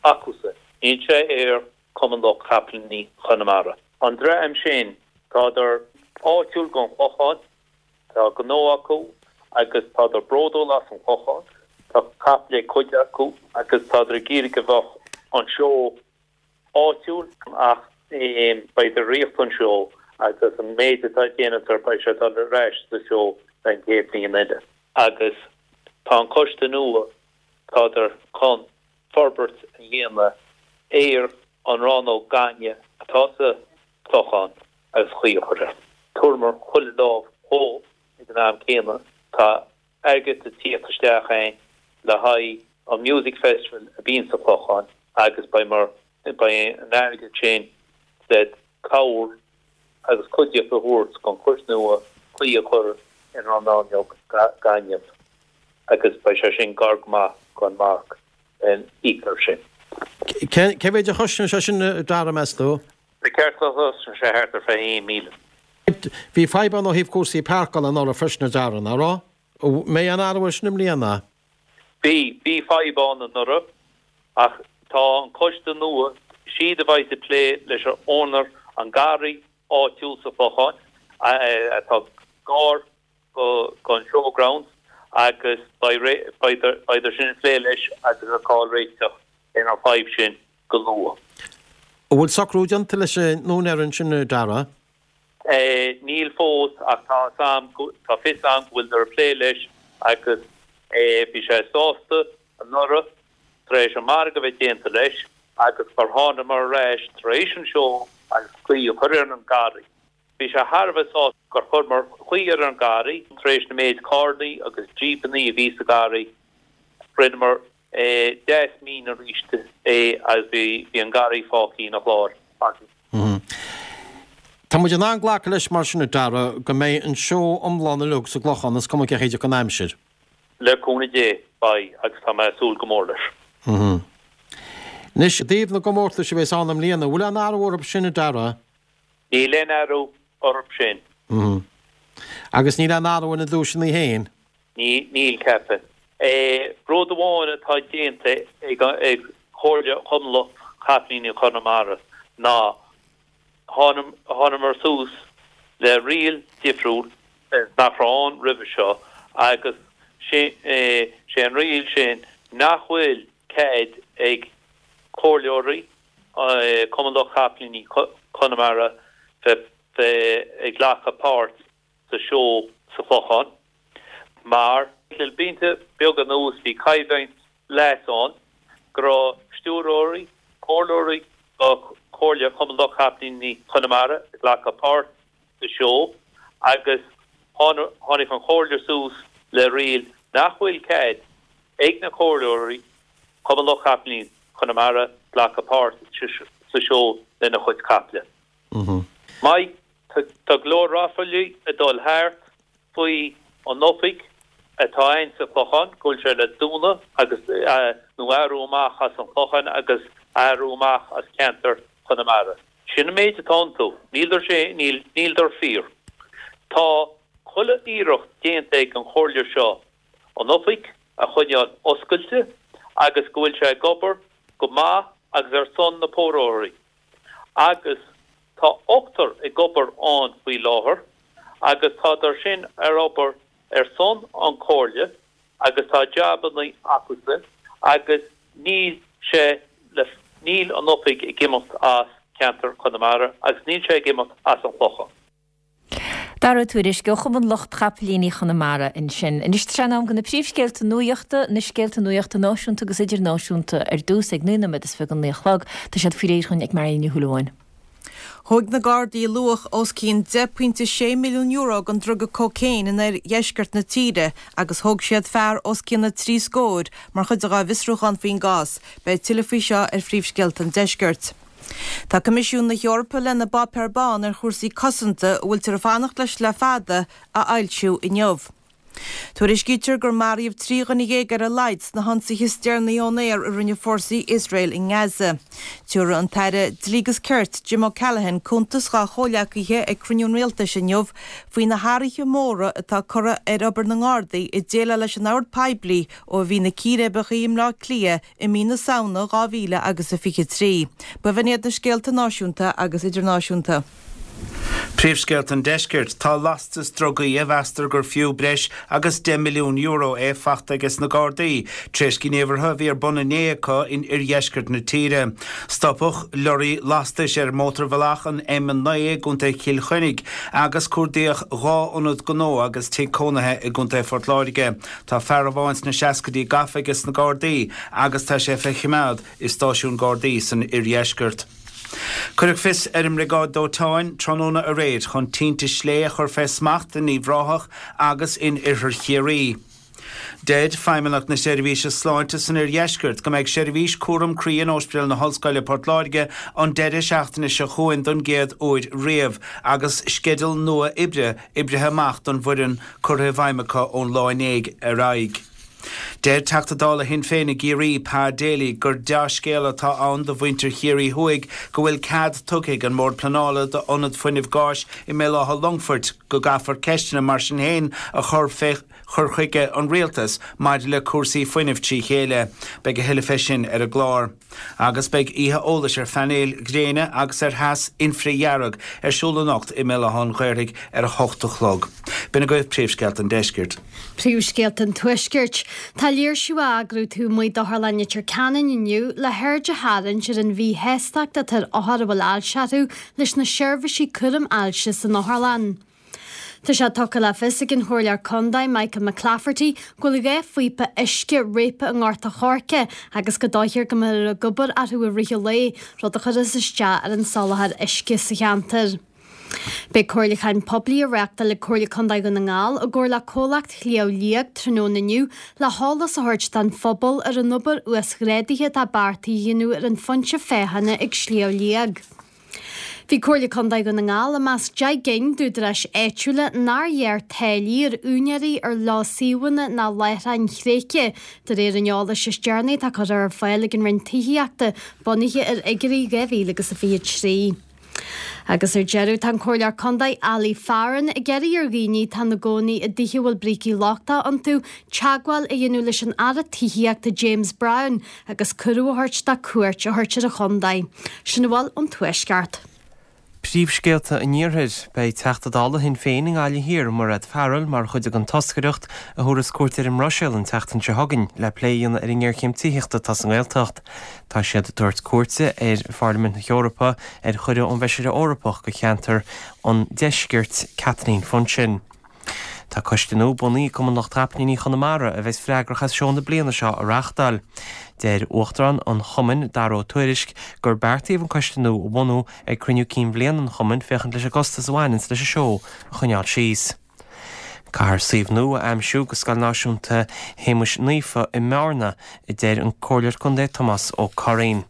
acusan, níl sé ar Cumann Lucht Capaillíní Chonamara. An dream sin, tádar áitiúil don Chlochán, Tá gnó acu agus tádar bródúil as an Chlochán. Tá capaill ag cuid acu agus tádar ag iarraidh go bheadh an seó áitiúil ach beidh ag reáchtáil an seó agus an méid atá déantar beidh sé ag dul ar ais sa seó don chéad bhliain eile. Agus tá an coiste nua, tádar chun forbairt a dhéanamh ar an rannóg gainimh atá sa Chlochán agus caoi a chur air. Tabharfamar chuile lámh dhó ag an am céanna. Tá airgead ag tíocht isteach a'inn le haghaidh an Music Festival a bíonn sa Chlochán agus beidh mar, beidh an airgead sin le cabhair agus cuidíocht a thabhairt don choiste nua caoi a chur ar an rannóg gainimh agus beidh sé sin gar go maith don marc íoc air sin. Cé mhéid a chosnaíonn sé sin, a Dara, meas tú? Ba cheart go gcosnódh sé thart ar 21,000. Bhí fadhb ann ó thaobh cúrsaí páirceála anuraidh freisin, a Dara, nach raibh? An mbeidh aon athrú air sin i mbliana? Bhí, bhí fadhb ann anuraidh ach tá an coiste nua, siad a bheidh ag plé leis an owner an garraí áitiúil sa Chlochán atá gar don showgrounds agus beidh, beidh sin ag plé leis agus ag fáil réiteach ar an fadhb sin go luath. An bhfuil socrú déanta leis an úinéir ansin, a Dara? Níl fós ach tá fhios a'm, tá fios a'm go bhfuileadar ag plé leis agus bhí sé sásta anuraidh tar éis an margadh a bheith déanta leis agus gur thánamar ar ais tar éis an seó agus caoi a chur ar an garraí. Bhí sé thar a bheith sásta gur chuireamar caoi ar an garraí tar éis na méid carrannaí agus jípeannaí a bhí sa garraí. Rinneamar deas mín arís é agus bhí an garraí fágtha ina chlár againn. Tá muid in ann glacadh leis mar sin, a Dara, go mbeidh an seó iomlán uilig sa gClochán, is cuma cén chaoi a dtiocfaidh an aimsir. Le cúnamh Dé, beidh, agus tá mé ag súil go mór leis. Anois, i dtaobh na gcomórtais a bheas ann i mbliana, an bhfuil aon athrú orthu sin, a Dara? Níl aon athrú orthu sin. Agus níl aon athrú ar na duaiseanna féin? Níl, ceapaim. Rud amháin atá déanta ag Comhairle Chumann Lucht Capaillíní Chonamara ná thánamar suas le riail difriúil nach raibh ann roimhe seo agus sé an riail sin nach bhfuil cead ag comhairleoirí Cumann Lucht Capaillíní Chonamara bheith ag glacadh páirt sa seó sa Chlochán mar le blianta beaga anuas bhí coimhlint leasa ann go raibh stiúrthóirí, comhairleoirí do Chomhairle Chumann Lucht Capaillíní Chonamara ag glacadh páirt sa seó agus tháinig an Chomhairle suas le riail nach bhfuil cead ag na comhairleoirí Chumann Lucht Capaillíní Chonamara glacadh páirt sa seó lena chuid caiple. Mike, Tá go leor ráflaí ag dul thart faoi an oifig atá ann sa Chlochán, go bhfuil sé le dúnadh agus, nó athrú amach as an Chlochán agus athrú amach as ceantar Chonamara. Sin an méid atá iontu. Níldar sé, níl, níldar fíor. Tá chuile iarracht déanta ag an Chomhairle seo an oifig a choinneáil oscailte agus go bhfuil sé ag obair go maith agus ar son na póróirí. Agus tá ochtar ag obair ann faoi láthair agus tádar sin ar obair ar son an Chomhairle agus tá jabannaí acusan agus níl sé le, níl an oifig ag imeacht as ceantar Chonamara agus níl sé ag imeacht as an Chlochán. Dara Ó Tuairisg ó Chumann Lucht Chapaillíní Chonamara ansin. Anois tá sé in am do na príomhscéalta nuachta, na scéalta nuachta náisiúnta agus idirnáisiúnta ar dtús ag 9 nóiméad is 29 don naoi a chlog. Tá siad faoi réir dhúinn ag Marion Ní Shúilleabháin. Thóg na Gardaí luach os cionn €10.6 milliún den druga cócaon in oirdheisceart na tíre agus thóg siad fear os cionn na dtrí scór mar chuid dá bhfiosrúchán faoin gcás. Beidh tuilleadh faoi seo ar Phríomhscéalta an Deiscirt. Tá Coimisiún na hEorpa lena bpáipéar bán ar chúrsaí cosanta, a bhfuiltear ag fanacht leis le fada, a fhoilsiú inniu. Tuairiscítear gur maraíodh 13 dhuine ar a laghad sna hionsaithe is deireanaí ón aer a rinne fórsaí Iosrael i nGaza. Tabharfaidh an tAire Dlí agus Cirt, Jim O'Callaghan, cuntas dá chomhghleacaithe ag cruinniú an Rialtais inniu faoi na hathruithe móra atá curtha ar obair na nGardaí ag déileáil leis an ord poiblí ó a bhí na círéibeacha i mBleá Cliath i mí na Samhna 2000 agus a 23. B'in iad na scéalta náisiúnta agus idirnáisiúnta. Príomhscéalta an Deiscirt, Tá lastas drugaí a mheastar gur fiú breis agus €10 milliún é fachta ages na Gardaí tar éis gníomhartha a bhí ar bun inné acu in oirdheisceart na tíre. Stopadh lorraí lastais ar mhótarbhealach an M9 i gContae Chill Chainnigh agus cuardaíodh 2 ionad gnó agus tigh cónaithe i gContae Phort Láirge. Tá fear amháin sna seascaidí gafa ages na Gardaí agus tá sé fé choimeád i stáisiún Gardaí san oirdheisceart. Cuireadh fios ar an mBriogáid Dóiteáin tráthnóna aréir chun tinte slé a chur fé smacht in Uíbh Ráthach agus in oirthear Chiarraí. Deir Feidhmeannacht na Seirbhíse Sláinte san Oirdheisceart go mbeidh seirbhís cúram croí in Ospidéal na hOllscoile Port Láirge an deireadh seachtaine seo chugainn don gcéad uair riamh agus sceideal nua oibre oibrithe amach don bhfoireann curtha i bhfeidhm acu ón lá inné ar aghaidh. Deir Teachta Dála Shinn Féin i gCiarraí, Pa Daly, gur dea-scéala atá ann do mhuintir Chiarraí Thuaidh go bhfuil cead tugtha ag an mBord Pleanála d'ionad fuinnimh gáis i mBéal Átha Longfoirt, go gcaithfear ceisteanna mar sin féin a chur fé chur chuige an Rialtais maidir le cúrsaí fuinnimh trí chéile. Beidh a thuilleadh fé sin ar an gclár. Agus beidh oíche eolais ar phainéil ghréine agus ar theas infridhearg ar siúl anocht i mBéal Átha an Ghaorthaidh ar a hocht a chlog. B'in agaibh príomhscéalta an deiscirt. Príomhscéalta an Tuaiscirt. Tá léirsiú á eagrú taobh amuigh d'Otharlann Leitir Ceanainn inniu le haird a tharraingt ar an mhíshástacht atá ar othair a bhfuil ailse orthu leis na seirbhísí cúraim ailse san otharlann. Tá sé tugtha le fios ag an Chomhairleoir Contae Michael McClafferty go bhfuil 2 phíopa uisce réabtha i nGort a' Choirce agus go dóichír go mbeifear ag obair orthu i rith an lae, rud a chuirfeas isteach ar an soláthar uisce sa cheantar. Beidh comhairliúchán poiblí á reáchtáil ag Comhairle Contae Dhún na nGall i gcomhar le Comhlacht Shliabh Liag tráthnóna inniu le heolas a thabhairt don phobal ar an obair uasghrádaithe atá beartaithe a dhéanamh ar an phointe féachana ag Sliabh Liag. Bhí Comhairle Contae Dhún na nGall i measc 10 gcinn d'údaráis áitiúla nár ghearr táillí ar úinéirí ar leo suíomhanna ná láithreáin thréigthe, de réir an eolais is deireanaí atá curtha ar fáil ag an Roinn Tithíochta, bunaithe ar fhigiúirí 2023. Agus ar deireadh, tá an Comhairleoir Contae Ali Farren ag iarraidh ar dhaoine atá ina gcónaí i dtithe a bhfuil brící lochtacha iontu teagmháil a dhéanamh leis an Aire Tithíochta James Browne agus cuireadh a thabhairt dó cuairt a thabhairt ar an chontae. Sin a bhfuil ón Tuaisceart. Príomhscéalta an Iarthair. Beidh Teachta Dála Shinn Féin i nGaillimh Thiar, Mairéad Farrell, mar chuid den toscaireacht a thabharfas cuairt ar an mBruiséil an tseachtain seo chugainn le plé a dhéanamh ar an ngéarchéim tithíochta atá sa nGaeltacht. Tá siad ag tabhairt cuairte ar Pharlaimint na hEorpa ar chuireadh ón bhFeisire Eorpach do cheantar an Deiscirt, Kathleen Funchion. Tá coiste nua bunaithe ag Cumann Lucht Capaillíní Chonamara a bheas freagrach as seó na bliana seo a reáchtáil. Deir Uachtarán an chumainn, Dara Ó Tuairisg, gur beartaíodh an coiste nua a bhunú ag cruinniú cinn bhliana an chumainn féachaint leis an gcostas a bhaineanns leis an seó a choinneáil síos. Caithfear suíomh nua a aimsiú do Scoil Náisiúnta Shéamuis Naofa i mBearna, a deir an Comhairleoir Contae Tomás Ó Curraoin.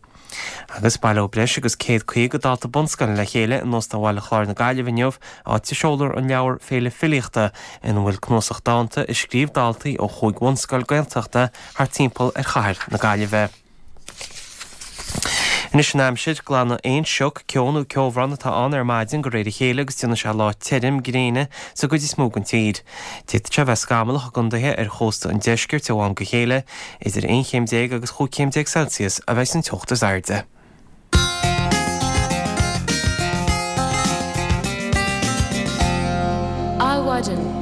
Agus baileoidh breis agus 150 dalta bunscoile le chéile in Óstán Bhaile Chláir na Gaillimhe inniu, áit a seolfar an leabhar Féile Filíochta, ina bhfuil cnuasach dánta a scríobh daltaí ó chúig bhunscoil Gaeltachta thart timpeall ar chathair na Gaillimhe. Anois an aimsir, glanfaidh aon sioc, ceo nó ceobhrán atá ann ar maidin de réir a chéile agus déanfaidh sé lá tirim gréine sa gcuid is mó den tír. D'fhéadfadh sé a bheith scamallach i gcontaetha ar chósta an deiscirt ó am go chéile. Idir 11 chéim agus 15 chéim Celsius a bheidh an teocht is airde. Adhmhaidin.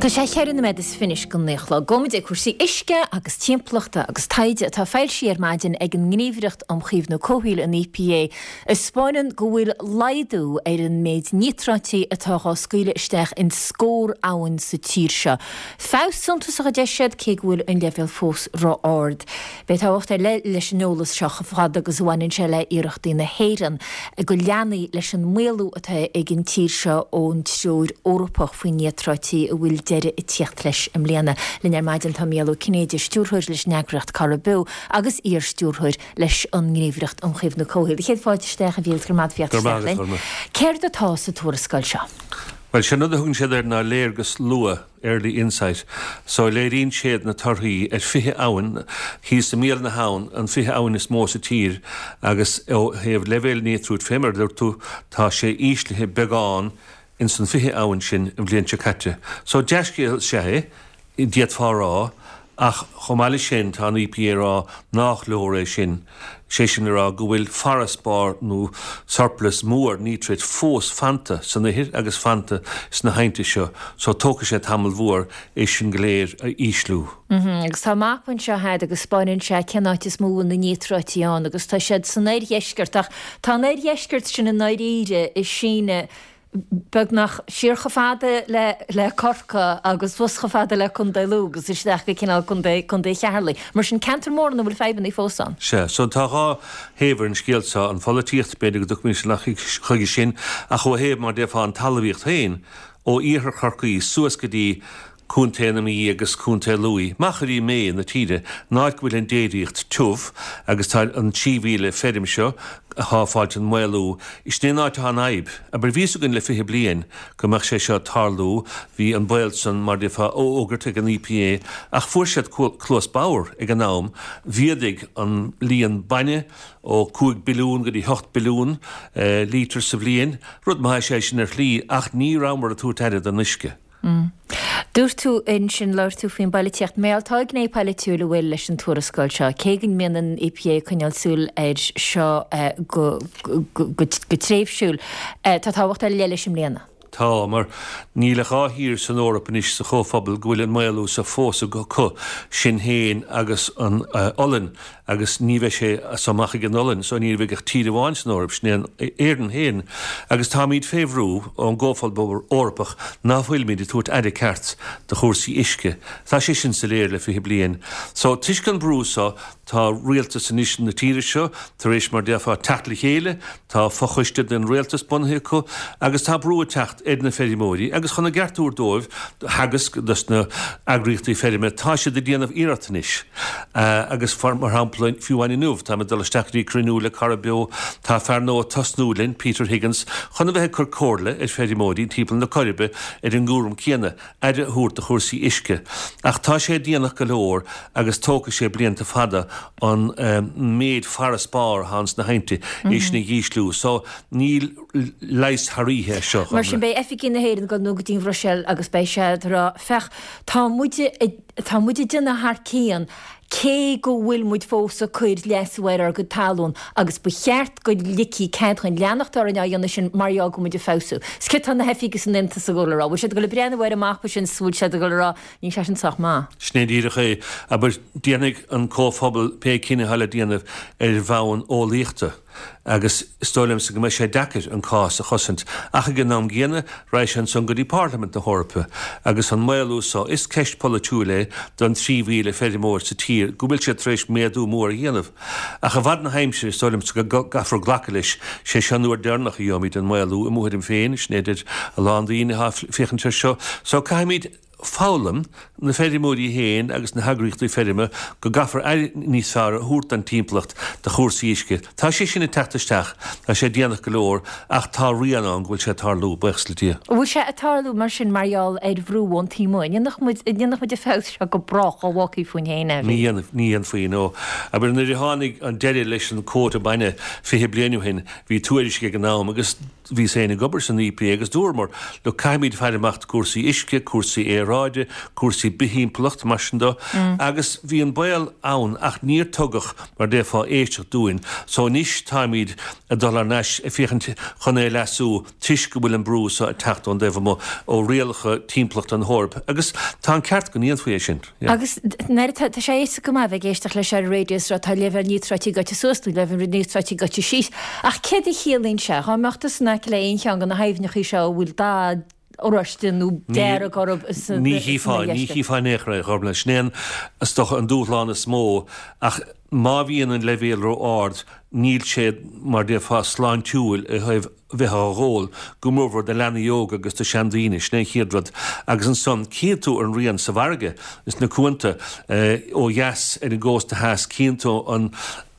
Tá sé cheithre nóiméad is fiche go naoi a chlog. Gabhfaimid ag cúrsaí uisce agus timpeallachta agus taighde atá foilsithe ar maidin ag an nGníomhaireacht um Chaomhnú Comhshaoil, an EPA, a 'spáineann go bhfuil laghdú ar an méid níotráití atá dhá scaoileadh isteach in scór abhainn sa tír seo. Feabhas suntasach a deir siad, cé go bhfuil an leibhéal fós ró-ard. Beidh tábhacht ar leith leis an eolas seo chomh fada agus a bhaineann sé le hiarrachtaí na hÉireann go leanfaí leis an maolú atá ag an tír seo ón Treoir Eorpach faoi Níotráití a bhfuil deireadh ag tíocht leis i mbliana. Linn ar maidin tá Mícheál Ó Cinnéide, Stiúrthóir leis an eagraíocht Cara Beo agus iar-stiúrthóir leis an nGníomhaireacht um Chaomhnú Comhshaoil. Chéad fáilte isteach a Mhíchíl, go raibh maith agat as theacht isteach linn. Céard atá sa tuarascáil seo? Bhuel, sé an rud a thugann siad air ná léargas luath, early insight. So, léiríonn siad na torthaí ar 20 abhainn thíos i mbéal na habhann, an 20 abhainn is mó sa tír agus ó thaobh leibhéil níotráit fé mar a dúirt tú, tá sé íslithe beagán ins an 20 abhainn sin an bhliain seo caite. So, dea-scéal is ea é. D'fhéadfá a rá, ach chomh maith leis sin tá an EPA ag rá nách leor é sin, sé sin le rá go bhfuil farasbarr nó surplus mór nítrate fós fanta san ithir agus fanta sna haibhnte seo, so tógfaidh sé tamall mhór é sin go léir a ísliú. Agus tá mapa anseo agat agus 'spáineann sé cén áit is mó a bhfuil na níotráití ann agus tá siad san oirdheisceart ach tá an oirdheisceart sin i ndáiríre ag síneadh beagnach siar chomh fada le le Corcaigh agus suas chomh fada le Contae Lú agus isteach go cineál Contae Contae Cheatharlaigh. Mar sin, ceantar mór ina bhfuil fadhbanna fós ann. Sea, so tá dhá thaobh ar an scéal seo, an pholaitíocht, b'fhéidir go dtiocfaimid amach chuige sin, ach ó thaobh, mar déarfá, an talmhaíocht féin, ó iarthar Chorcaí suas go dtí Contae na Mí agus Contae Lú, machairí méith na tíre, an áit go bhfuil an déiríocht tiubh agus tá an 3,000 feirm seo atá ag fáilt an maolú, sin é an áit atá an fhadhb. Abair, bhí fhios againn le 20 bliain go mbeadh sé seo ag tarlú, bhí an baol san, mar déarfá, á fhógairt ag an EPA ach fuair siad cluas bodhar ag an am, mhéadaigh an líon bainne ó 5 billiún go dtí 8 billiún lítear sa bhliain, rud maith is ea é sin ar shlí ach ní rabhamar ag tabhairt aire don uisce. Dúirt tú ansin, labhair tú faoin bpoilitíocht. Mar tá gné polaitiúil a bhfuil leis an tuarascáil seo, cé go mbíonn an EPA ag coinneáil súil air seo go tréimhsiúil, tá tábhacht ar leith leis i mbliana. Tá, mar níl ach dhá thír san Eoraip anois sa Chomhphobal go bhfuil an maolú seo fós acu, sinn féin agus an Ollainn. agus ní bheidh sé as so amach ag an Ollainn, so ní bheidh ach tír amháin san Eoraip, sin é an Éirinn féin, agus táimíd fé bhrú ón gComhphobal Eorpach ná fuilimíd ag tabhairt aire ceart do chúrsaí uisce. Tá sé sin soiléir le 20 bliain. So, toisc an brú so, tá rialtas anois na tíre seo tar éis, mar déarfá, teacht le chéile, tá fochoiste den rialtas bunaithe acu, agus tá brú ag teacht. teacht ar na feirmeoirí agus chun a gceart a thabhairt dóibh, do Theagasc, dos na eagraíochtaí feirme, tá siad ag déanamh iarracht anois agus mar shampla fiú amháin inniu táim ag dul isteach go dtí cruinniú le Corrib Beo, tá fear nua ag tosnú linn, Peter Higgins, chun a bheith ag cur comhairle ar feirmeoirí timpeall na Coiribe ar an gcúram céanna, aire a thabhairt do chúrsaí uisce. Ach tá sé déanach go leor agus tógfaidh sé blianta fada an méid farasbarr atá ins na haibhnte é sin a dhísliú. So níl leigheas thar oíche air seo. Mar sin beidh oifigigh na hÉireann ag dul go dtí an Bhruiséil agus beidh siad ag rá, féach, tá muide, tá muid ag déanamh thar cionn cé go bhfuil muid fós ag cur leasú ar ár gcuid talún agus ba cheart go ligfí cead dhúinn leanacht orainn á dhéanamh sin mar gheall go bhfuil muid ag feabhsú. 'S céard tá na hoifigigh san Aontas ag dul a rá? Bhfuil siad ag dul ag breathnú ar an mapa sin 's bhfuil siad ag dul a rá, níl sé sin sách maith? Sin é díreach é. Abair, déanfaidh an Comhphobal pé cinneadh atá le déanamh ar bhonn eolaíochta. Agus is dóigh liomsa go mbeidh sé deacair an cás a chosaint. Ach ag an am gcéanna, raghaidh sé ansan go dtí Parlaimint na hEorpa. Agus an maolú so, is ceist pholaitiúil é don 3,000 feirmeoir sa tír go bhfuil siad tar éis méadú mór a dhéanamh. Ach i bhfad na haimsire, is dóigh liomsa go gcaithfear glacadh leis, sé seo an uair deireanach a gheobhaimid an maolú, i mo thuairim féin, sin é a deir a lán daoine atá ag féachaint air seo. So caithfimid. foghlaim, na feirmeoirí féin agus na heagraíochtaí feirme, go gcaithfear aire níos fearr a thabhairt don timpeallacht, do chúrsaí uisce. Tá sé sin ag teacht isteach, tá sé déanach go leor ach tá rian ann go bhfuil sé ag tarlú, buíochas le Dia. An bhfuil sé ag tarlú mar sin mar gheall ar bhrú ón taobh amuigh? An ndéanfadh muid, an ndéanfadh muid an feabhas seo go brách dhá bhfágfaí fúinn féin é? Ní dhéanfaí, ní dhéanfaí, no. Abair nuair a tháinig an deireadh leis an quota bainne 20 bliain ó shin, bhí tuairisc ag an am agus, Bhíos féin ag obair san EPA agus dúramar, look, caithfimid faire amach do cúrsaí uisce, cúrsaí aeráide, cúrsaí biththimpeallacht, mar sin de. Agus bhí an baol ann ach níor tugadh, mar déarfá, éisteacht dúinn. So anois táimid ag dul thar n-ais ag féachaint chun é a leasú toisc go bhfuil an brú so ag teacht ón dtaobh amuigh, ó rialacha timpeallachta na hEorpa. Agus tá an ceart go ndéanfaí é sin. Agus nuair atá, tá sé éasca go maith a bheith ag éisteacht leis ar an raidió is rá tá leibhéal níotráití gaibhte suas nó leibhéal níotráití gaibhte síos. Ach céard a chiallaíonn sé? Dhá mbeadh tusa in aice le aon cheann de na haibhneachaí seo a bhfuil dath oráiste nó dearg orthu sa Ní chífeá, ní chífeá in aon chor é, a Ghormlaith. Sin é an, is dócha, an dúshlán is mó. Ach má bhíonn an leibhéal ró-ard, níl sé, mar déarfá, sláintiúil i thaobh bheith á dh'ól, go mórmhór do leanaí óga agus do sheandaoine, sin é an chéad rud. Agus ansan, cíonn tú an rian sa bhfarraige, sna cuanta, ó dheas ar an gcósta theas, cíonn tú an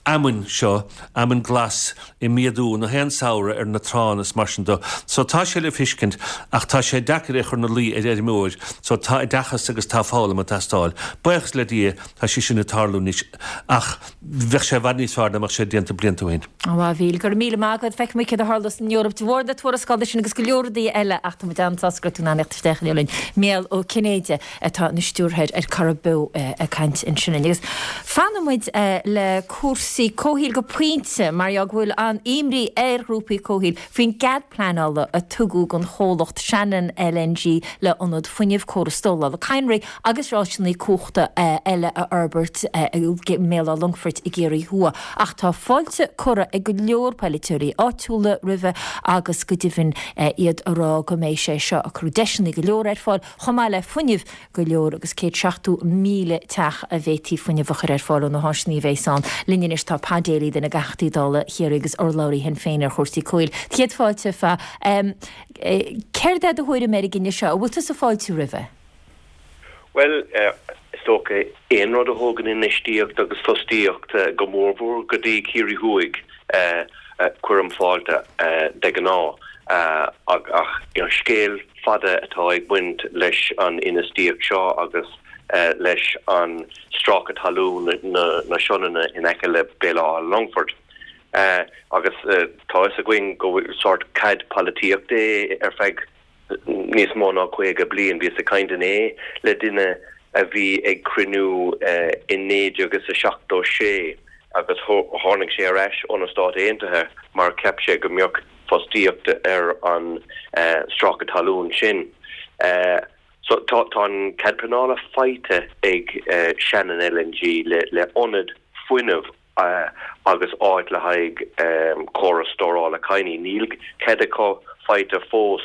fheamainn seo, fheamainn glas, ag méadú na haon samhradh ar na tránna is mar sin de. So tá sé le feiscint, ach tá sé deacair é a chur ina luí ar fheirmeoir. So tá oideachas agus tá foghlaim ag teastáil. Buíochas le Dia, tá sé sin ag tarlú anois. Ach bheadh sé i bhfad níos fearr dá mbeadh sé déanta blianta ó shin. A Mhíchíl, go raibh míle maith agat. Feicfidh muid céard a tharlós san Eoraip de bharr na tuarascála sin agus go leor rudaí eile ach tá muid an-sásta go raibh tú in ann a theacht isteach inniu linn. Mícheál Ó Cinnéide atá ina stiúrthóir ar Corrib Beo ag caint ansin linn. Agus fanfaidh muid le cúrsaí comhshaoil go pointe mar gheall go bhfuil an-imní ar ghrúpaí comhshaoil faoin gcead pleanála a tugadh don chomhlacht Shannon LNG le ionad fuinnimh, córas stórála cadhnraí agus áiseanna cumhachta eile a fhorbairt i mBéal Átha Longfoirt i gCiarraí Thuaidh. Ach tá fáilte curtha ag go leor polaiteoirí áitiúla roimhe agus go deimhin iad ag rá go mbeidh sé seo ag cur deiseanna go leor ar fáil chomh maith le fuinneamh go leor agus 170,000 teach a bhféadfaí fuinneamh a chur ar fáil ó na háiseanna a bheas ann. Linn anois tá Pa Daly, duine de Theachtaí Dála Chiarraí agus urlabhraí Shinn Féin ar chúrsaí comhshaoil. Céad fáilte, a Pha. Céard é do thuairim ar an gcinneadh seo? An bhfuil tusa ag fáiltiú roimhe? Bhuel, is dócha, aon rud a thógann infheistíocht agus fostaíocht, go mórmhór go dtí Ciarraí Thuaidh, cuirim fáilte de ghnáth. Ach scéal fada atá ag baint leis an infheistíocht seo agus leis an stráice talún na Sionainne in aice le Béal Átha Longfoirt. Agus tá fhios againn go bhfuil sórt cead polaitíochta é ar feadh níos mó ná 50 bliain. Bhíos ag caint inné le duine a bhí ag cruinniú i 1976 agus tháinig sé ar ais ó na Stáit Aontaithe mar cheap sé go mbeadh fostaíocht ar an stráice talún sin. So tá an cead pleanála faighte ag Shannon LNG le ionad fuinnimh agus áit le haghaidh córas stórála cadhnraí. Níl cead acu faighte fós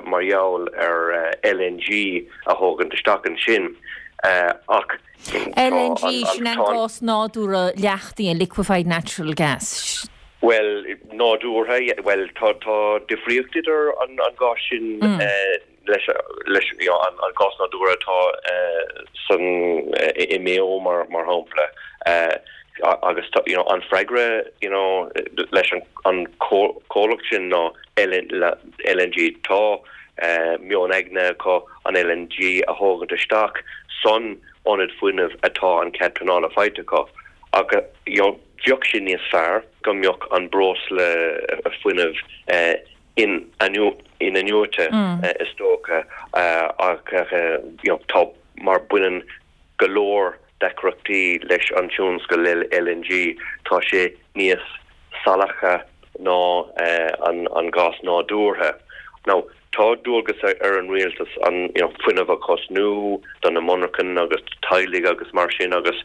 mar gheall ar LNG a thógaint isteach ansin ach tá an. LNG, sin an gás nádúrtha leachtaithe, liquefied natural gas. Bhuel, nádúrtha, bhuel, tá difríocht idir an gás sin leis, leis an gás nádúrtha atá san, i Maigh Eo mar shampla, agus tá, you know, an freagra, you know, leis an comhlacht sin ná LNG. Tá meon aigne acu an LNG a thógaint isteach san ionad fuinnimh atá an cead pleanála faighte acu ach, you know, Bheadh sé níos fearr go mbeadh an breosla fuinnimh in-athnuaite is dócha ach tá mar baineann go leor deacrachtaí leis an tionscal LNG, tá sé níos salacha ná an gás nádúrtha. Now Tá dualgas ar an rialtas an fuinneamh a chosnú do na monarchain agus do teaghlaigh agus mar sin agus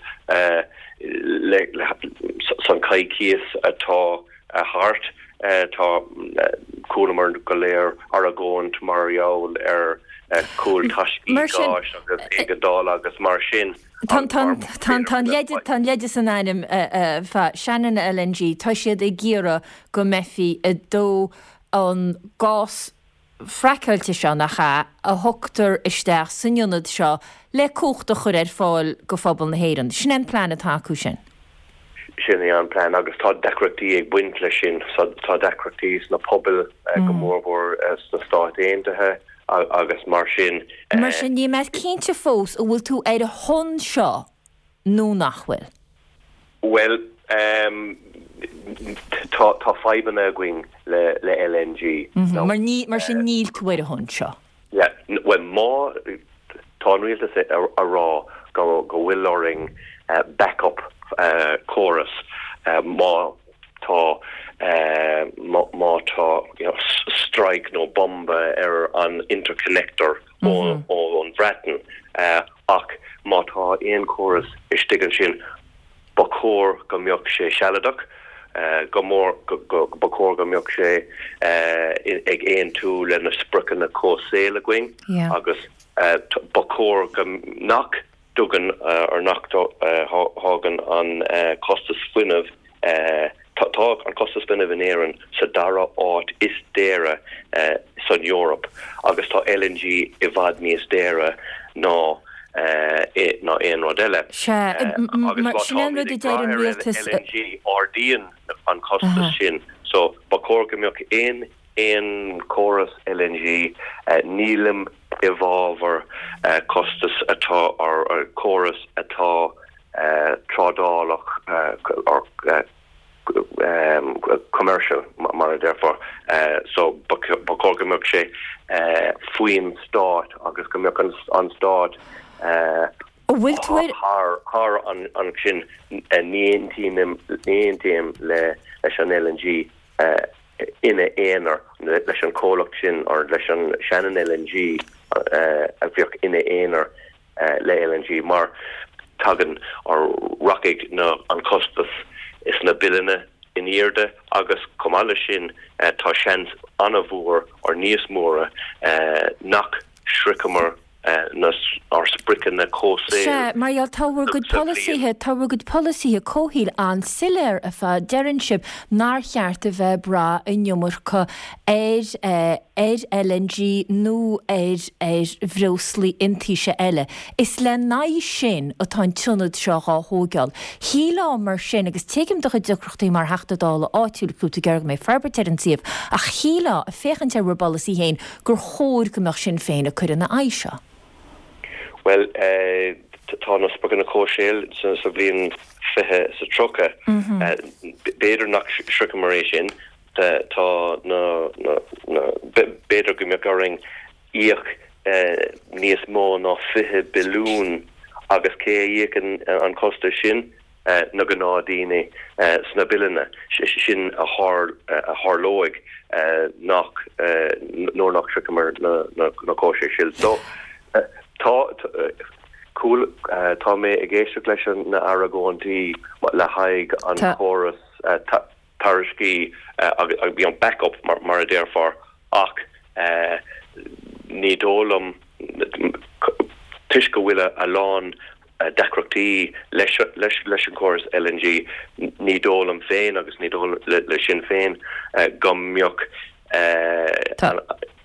san coicíos atá thart tá chualamar go léir argóint mar gheall ar chúltaiscí gáis agus éigeandála agus mar sin. Tá an leide san ainm fa Shannon LNG, tá siad ag iarraidh go mbeifí ag dó an gás fraiceáilte seo, nach ea, a thugtar isteach san ionad seo le cumhacht a chur ar fáil go phobal na hÉireann. Sin é an plean atá acu sin. Sin é an plean agus tá deacrachtaí ag baint leis sin. Tá deacrachtaí sna pobail, go mórmhór sna Stáit Aontaithe agus mar sin. Mar sin, níl mé cinnte fós an bhfuil tú ar a shon seo nó nach bhfuil? Bhuel, tá, tá fadhbanna againn le, le LNG. Now. Mar ní, mar sin níl tú ar a shon seo? Yeah, bhuel má, tá an rialtas a rá go, go bhfuil orainn backup córas má tá, má, má tá you know strike nó bomba ar an interconnector ón Bhreatain ach má tá aon chóras istigh ansin ba chóir go mbeadh sé sealadach, go mór ba chóir go mbeadh sé ag aontú le na spriocanna comhshaoil againn agus ba chóir go nach dtugann or nach dtagann an costas fuinnimh Tá an costas fuinnimh in Éirinn sa dara áit is daoire san Eoraip agus tá LNG i bhfad níos daoire ná ná aon rud eile. Sea, Agus mar má sin é an táimid rud a ag deir brath an ar rialtas. LNG ardaíonn an costas sin so ba chóir go mbeadh aon aon chóras LNG, nílim i bhfabhar costas atá or córas atá trádálach or commercial mar a déarfá. So ba chóir go mbeadh sé faoin stát agus go mbeadh an stát thar an sin. Ní aontaím leis an LNG ina aonar, leis an chomhlacht sin or leis an Shannon LNG a bheadh ina aonar. le LNG mar tagann or rachaidh na an costas is na billeanna in airde agus chomh maith leis sin tá seans an-mhór or níos móra nach sroicheamar na ár spriocanna comhshaoil Sea, mar gheall, tá bhur gcuid sa bhliain. polasaithe, tá bhur gcuid polasaithe comhshaoil an-soiléir ar fad. Deireann sibh nár cheart a bheith ag brath an iomarca ar ar LNG nó ar ar bhreoslaí iontaise eile. Is le n-aghaidh sin atá an t-ionad seo dhá thóigeáil. Shílfeá mar sin, agus tuigim do chuid deacrachtaí mar Theachta Dála áitiúil, go bhfuil tú ag iarraidh go mbeidh forbairt ar an suíomh, ach shílfeá, ag féachaint ar bhur bpolasaí féin, gur chóir go mbeadh Sinn Féin ag cur ina aghaidh seo. Bhuel, tá na spriocanna comhshaoil sa bhliain 20 is a 30. B'fhéidir nach sroicheamar é sin, Tá na, na, b'fhéidir go mbeadh orainn íoc níos mó ná 20 billiún agus cé a íocann an costas sin? Na gnáthdaoine sna billeanna. Sin a tharlóidh nach, nuair nach sroicheamar na comhshaoil. So, tá, tá mé ag éisteacht leis na argóintí le haghaidh an chóras tairiscí agus you know back-up mar a déarfá ach ní dóigh liom toisc go bhfuil a lán. deacrachtaí leis leis an chóras LNG, ní dóigh liom féin agus ní dóigh le Sinn Féin go mbeadh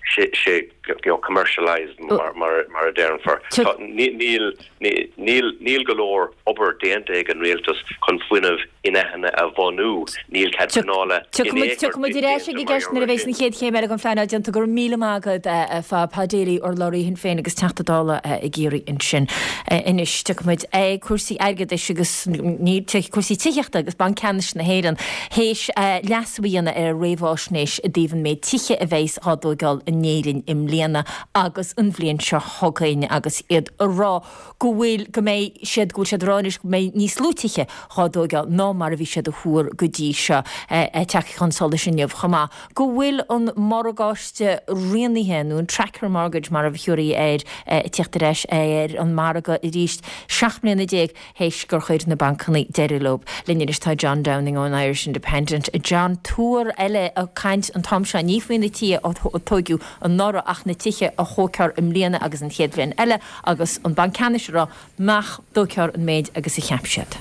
sé sé you know commercialised mar mar a déarfar. Níl níl níl go leor obair déanta ag an rialtas chun fuinneamh in-athnuaite a bhunú. Níl cead pleanála in aon chor Tiocfaidh muid ar ais ag an gceist nuair a bheidh an chéad chéim eile den phleanáil déanta. Go raibh míle maith agat, a Phad. Pat Daly, urlabhraí Shinn Féin agus Teachta Dála i gCiarraí ansin. Anois, tiocfaidh muid ag cúrsaí airgeadais agus ní, cúrsaí tithíochta agus Banc Ceannais na hÉireann théis leasú a dhéanamh ar a réamháisnéis i dtaobh an méid tithe a bheidhs dhá dtóigeáil in Éirinn i mbliana agus an bhliain seo chugainn agus iad a rá go bhfuil, go mbeidh siad, go bhfuil siad a rá anois go mbeidh níos lú tithe dhá dtóigeáil ná mar a bhí siad a thuar go dtí seo. Tagtha chun solais inniu chomh maith go bhfuil an morgáiste rianaithe, nó an tracker mortgage mar a thabharfaí air, ag tíocht ar ais ar an margadh arís 17 mbliana théis gur chuir na bancanna deireadh leo. Linn anois tá John Downing ón Irish Independent. John, tuar eile ag caint an t-am seo, ní faoi na tithe a tóigeadh anuraidh ach na tithe a thógfar i mbliana agus an chéad bhliain eile agus an Banc Ceannais ag rá nach dtógfar an méid agus a cheap siad.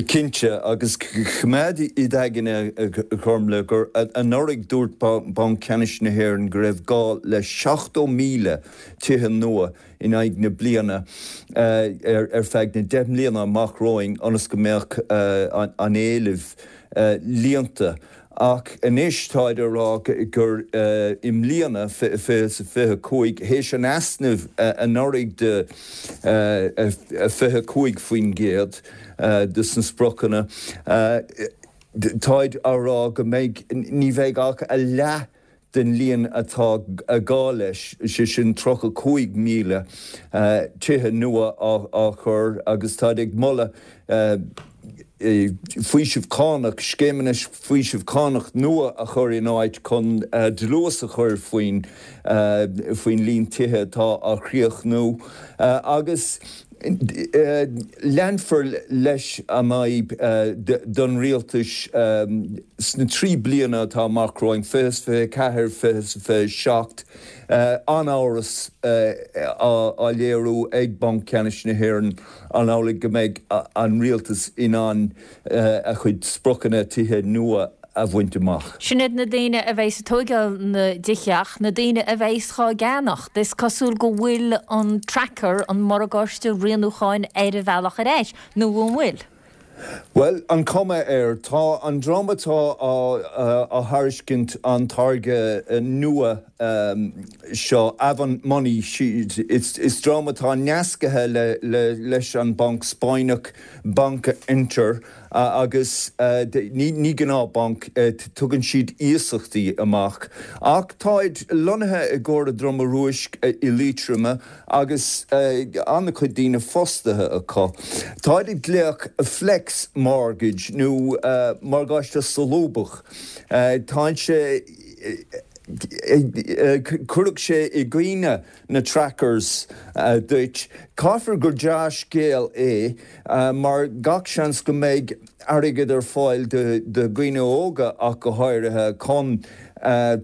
Cinnte, agus coimeád i d'aigne, a Ghormlaith, gur anuraidh dúirt Banc Ceannais na hÉireann go raibh gá le 70,000 tithe nua in aghaidh na bliana ar feadh na 10 mbliana amach romhainn ionas go mbeadh an éileamh líonta. Ach anois táid á rá gur i mbliana, 2025, théis an easnaimh anuraidh de 25% de sna spriocanna, táid á rá go mbeidh, ní bheidh ach a leath den líon atá gá leis, sé sin 35,000 tithe nua á chur agus táid ag moladh faoiseamh cánach, scéimeanna faoiseamh cánach nua a chur in áit chun dlús a chur faoin faoin líon tithe atá á chríochnú agus Leanfar leis an fhadhb don rialtas sna 3 bliana atá amach romhainn, 2024, 2027, an-amhras á léiriú ag Banc Ceannais na hÉireann an amhlaidh go mbeidh an rialtas in ann a chuid spriocanna tithe nua a bhaint amach. Sin iad na daoine a bheidhs ag tóigeáil na dtithe ach na daoine a bheidhs dhá gceannacht, is cosúil go bhfuil an tracker, an morgáiste rianúcháin ar a bhealach ar ais, nó an bhfuil? Bhuel, an cuma air, tá an dream atá á thairiscint an táirge nua seo, Avant Money, is dream atá nascaithe leis an banc Spáinneach Bankinter, Agus ní gnáth-bhanc, tugann siad iasachtaí amach. Ach táid lonnaithe i gCora Droma Rúisc i Liatroim agus an-chuid daoine fostaithe acu. Táid ag glaoch flex mortgage nó morgáiste solúbtha. Tá sé, cuirfidh sé i gcuimhne na trackers duit. Caithfear gur dea-scéal é mar gach seans go mbeidh airgead ar fáil do dhaoine óga ach go háirithe chun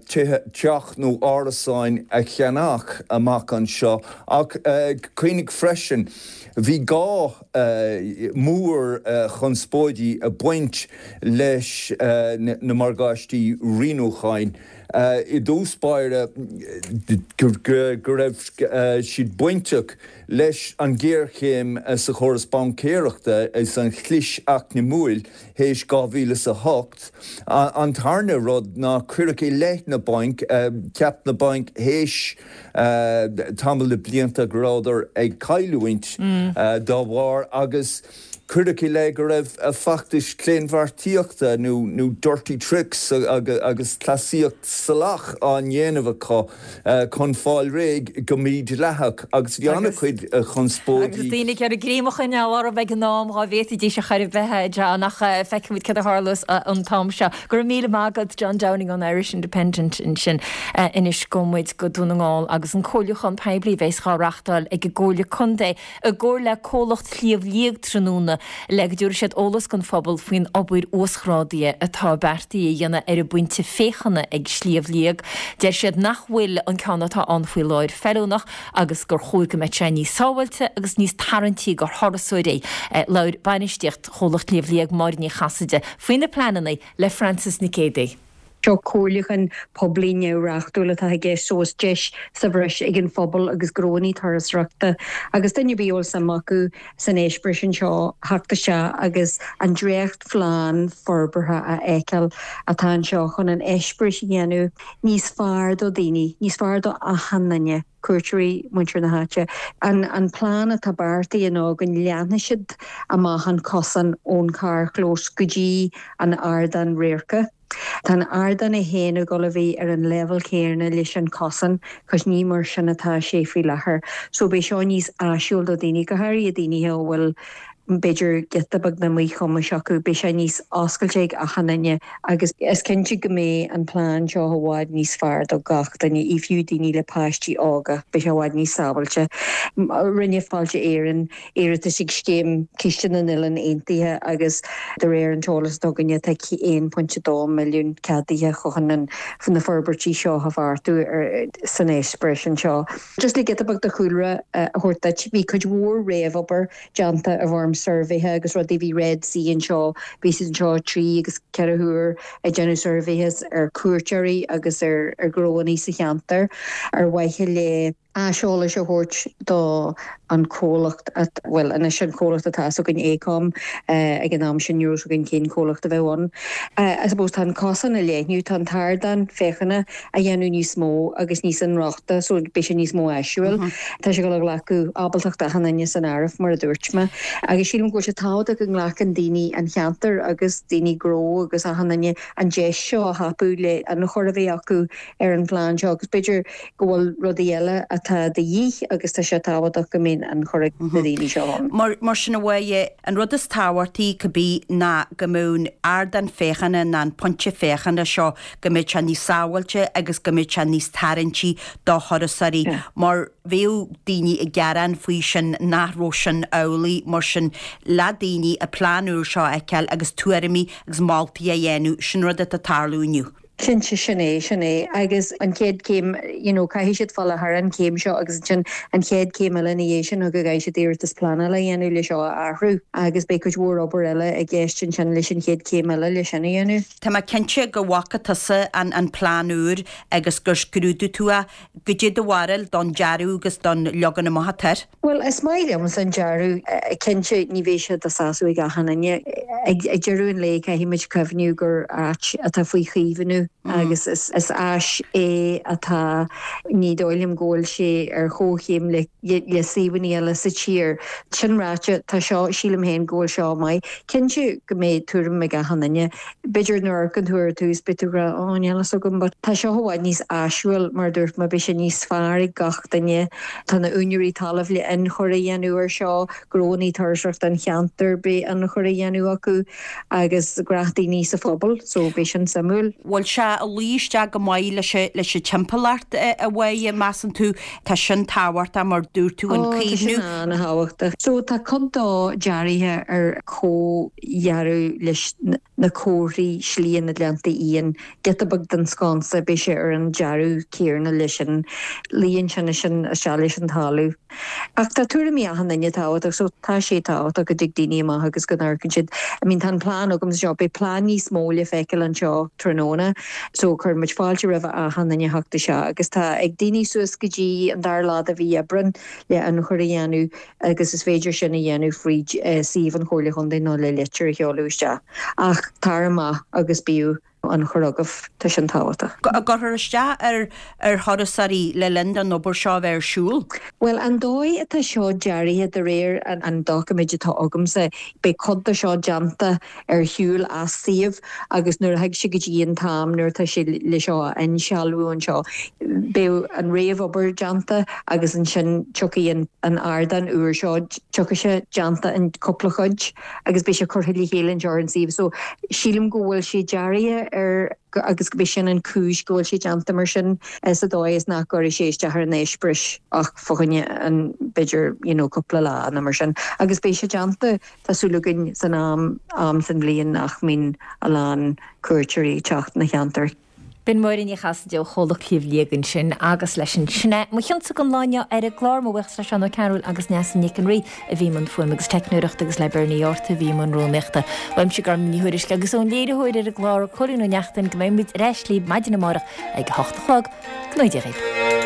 teach nó árasáin a cheannach amach anseo. Ach cuimhnigh freisin, bhí gá mór chonspóidí ag baint leis na morgáistí rianúcháin. I dtús báire go raibh siad bainteach leis an ghéarchéim sa chóras baincéireachta is an chlis eacnamúil théis 2008. An tarna rud ná cuireadh i leith na bainc, cheap na bainc théis tamall de blianta go rabhadar ag cailliúint dá bharr agus Cuireadh i leith go raibh feachtais claonbheartaíochta nó dirty tricks agus cleasaíocht salach á ndéanamh acu chun fáil réidh go mídhleathach agus bhí an-chuid conspóidí. Agus daoine ag iarraidh greim a choinneáil orthu ag an am dhá bhféadfaidís ar chor ar bith, a John, ach feicfimid cad a tharlós an t-am seo. Go raibh míle maith agat, John Downing ón Irish Independent ansin. Anois gabhfaidh muid go Dún na nGall agus an comhairliúchán poiblí a bheas dhá reachtáil ag an gComhairle Contae i gcomhar le comhlacht Shliabh Liag tráthnóna. le go dtabharfaidh siad eolas don phobal faoin obair uasghrádaithe atá beartaithe a dhéanamh ar an bpointe féachana ag Sliabh Liag. Deir siad nach bhfuil an ceann atá ann faoi láthair feiliúnach agus gur chóir go mbeadh sé níos sábháilte agus níos tarraingtí do thurasóirí. Labhair bainistíocht Chomhlacht Shliabh Liag, Máire Ní Chasaide, faoi na pleananna le Frances Nic Géadaigh. Seo comhairliúchán poiblí neamhreachtúil atá i gceist so is deis sa bhreis ag an phobal agus gnóannaí turasóireachta agus duine ar bith a bhfuil suim acu san eispéireas anseo theacht isteach agus an dréachtphlean forbartha a fheiceáil atá anseo chun an eispéireas a dhéanamh níos fearr do dhaoine, níos fearr do achan duine. cuairteoirí, muintir na háite. An plean atá beartaithe ná go leathnóidh siad amach an cosán ón carrchlós go dtí an ardán radhairce. Tá an ardán é féin ag dul a bheith ar an leibhéal céanna leis an cosán, cos ní mar sin atá sé faoi láthair. So beidh seo níos áisiúil do daoine, go háirithe daoine a bhfuil b'fhéidir giota beag de mhíchumais acu, beidh sé níos oscailte ag achan duine agus is cinnte go mbeidh an plean seo i bhfad níos fearr do gach duine, i fiú daoine le páistí óga, beidh sé i bhfad níos sábháilte. Rinne Fáilte Éireann iarratas ag Scéim Ciste na nOileán Aontaithe agus de réir an t-eolas atá againne tá 1.2 milliún ceadaithe chun na forbairtí seo a bheartú san eispéireas anseo. Just le giota beag de chúlra a thabhairt duit, bhí cuid mhór réamhobair déanta i bhfoirm suirbhéithe agus rudaí. Bhí Red C anseo, bhí siad anseo 3 agus 4 huair ag déanamh suirbhéithe ar cuairteoirí agus ar ghnóannaí sa cheantar ar mhaithe le aiseolas a thabhairt do an comhlacht, bhuel anois an comhlacht atá againn AECOM, ag an am sin ní raibh againn cén comhlacht a bheadh ann. I suppose tá an cosán a leathnú, tá an t-ardán féachana a dhéanamh níos mó agus níos inrochtana so beidh sé níos mó áisiúil. Tá sé ag dul a ghlacadh ábaltacht achan duine san áireamh mar a dúirt mé. Agus sílim go bhfuil sé tábhachtach go nglacann daoine an cheantair agus daoine gnó agus achan duine an deis seo a thapú le ionchur a bheith acu ar an phlean seo agus b'fhéidir go bhfuil rudaí eile atá de dhíth agus tá sé tábhachtach go mbeidh ionchur ag na daoine seo ann. Mar sin a Mháire, an rud is tábhachtaí cibé ná go mbeadh an ardán féachana ná an pointe féachana seo go mbeadh sé níos sábháilte agus go mbeadh sé níos tarraingtí do thurasóirí mar bhíodh daoine ag gearán faoi sin nach raibh sin amhlaidh mar sin le daoine an plean úr seo a fheiceáil agus tuairimí agus moltaí a dhéanamh, sin rud atá ag tarlú inniu. Cinnte, sin é, sin é. Agus an chéad chéim, you know, caithfidh siad fáil thar an chéim seo agus ansin an chéad chéim eile ina dhiaidh sin ná go gcaithfidh siad iarratas pleanála a dhéanamh le seo a athrú agus beidh cuid mhór obair eile i gceist ansin leis an chéad chéim eile le sin a dhéanamh. Tá mé cinnte go bhfaca tusa an plean úr agus gur scrúdaigh tú é. Goidé do bharúil don dearadh agus don leagan amach atá air? Bhuel, is maith liomsa an dearadh. Cinnte, ní bheidh sé de sásamh ag achan duine. Ag deireadh an lae, caithfidh muid cuimhniú gur áit atá faoi chaomhnú agus is áis é atá, ní dóigh liom go bhfuil sé ar chomhchéim le le suíomhanna eile sa tír. Sin ráite, tá seo, sílim féin go bhfuil seo maith. Cinnte go mbeidh tuairim ag achan duine. B'fhéidir nuair a amharcann tú ar tús beidh tú ag rá oh níl fhios agam but tá seo i bhfad níos áisiúil mar a dúirt mé, beidh sé níos fearr ag gach duine. Tá na úinéirí talaimh le ionchur a dhéanamh ar seo, gnóannaí turasóireachta an cheantair beidh ionchur a dhéanamh acu agus gnáthdhaoine sa phobal so beidh sin suimiúil. Bhfuil sé ag luí isteach go maith leis leis an timpeallacht a Mháire, measann tú? Tá sin tábhachtach mar dúirt tú an Ó tá sin caomhnú. an-thábhachtach. So tá cuid dó dearaithe ar chomh dhearadh leis na comharthaí Slí na nGleannta Fhiáin, giota beag den sconsa, beidh sé ar an dearadh céarna leis sin, luíonn sin sin isteach leis an talamh. Ach tá tuairimí achan duine tábhachtach so tá sé tábhachtach go dtig daoine amach agus go n-amharcann siad. I mean tá an plean agamsa seo, beidh plean níos mó le feiceáil anseo tráthnóna so cuireann muid fáilte roimh achan duine theacht isteach agus tá ag daoine suas go dtí an dara lá de mhí Aibreán le ionchur a dhéanamh agus is féidir sin a dhéanamh fríd suíomh an Chomhairle Chontae nó le litir a sheoladh isteach. Ach tar amach agus bíodh ionchur agaibh, tá sin tábhachtach. An gcuirfear isteach ar ar thurasóirí le linn don obair seo a bheith ar siúl? Bhuel, an dóigh atá seo dearaithe, de réir an doiciméid atá agamsa, beidh cuid de seo déanta ar shiúl as suíomh agus nuair a thig sé go dtí an t-am nuair atá sé le seo a insealbhú anseo, beidh an réamhobair déanta agus ansin tiocfaidh an ardán úr seo, tiocfaidh sé déanta in cúpla cuid agus beidh sé curtha le chéile anseo ar an suíomh. So, sílim go bhfuil sé dearaithe. ar agus gurb é sin an chúis go bhfuil sé déanta mar sin sa dóigh is nach gcuirfidh sé isteach ar an eispéireas ach fá choinne an b'fhéidir you know cúpla lá nó mar sin agus beidh sé déanta tá súil againn san am am san bhliain nach mbíonn a lán cuairteoirí ag teacht na cheantar. B'in Máire Ní Chasaide ó Chomhlacht Shliabh Liag ansin agus leis an Sin é mo chionsa don lá inniu ar an gclár. Mo bhuíochas le Seán Ó Cearúil agus Neasa Nic an Rí a bhí i mbun fuaime agus teicneoireachta agus le Bernie Arthur a bhí i mbun rúnaíochta. Uaimse Gormlaith Ní Thuairisg agus ón léiritheoir ar an gclár, Cóilín Ó Neachtain, go mbeidh muid ar ais libh maidin amárach ag a hocht a chlog. Go ngnóthaí Dia dhaoibh.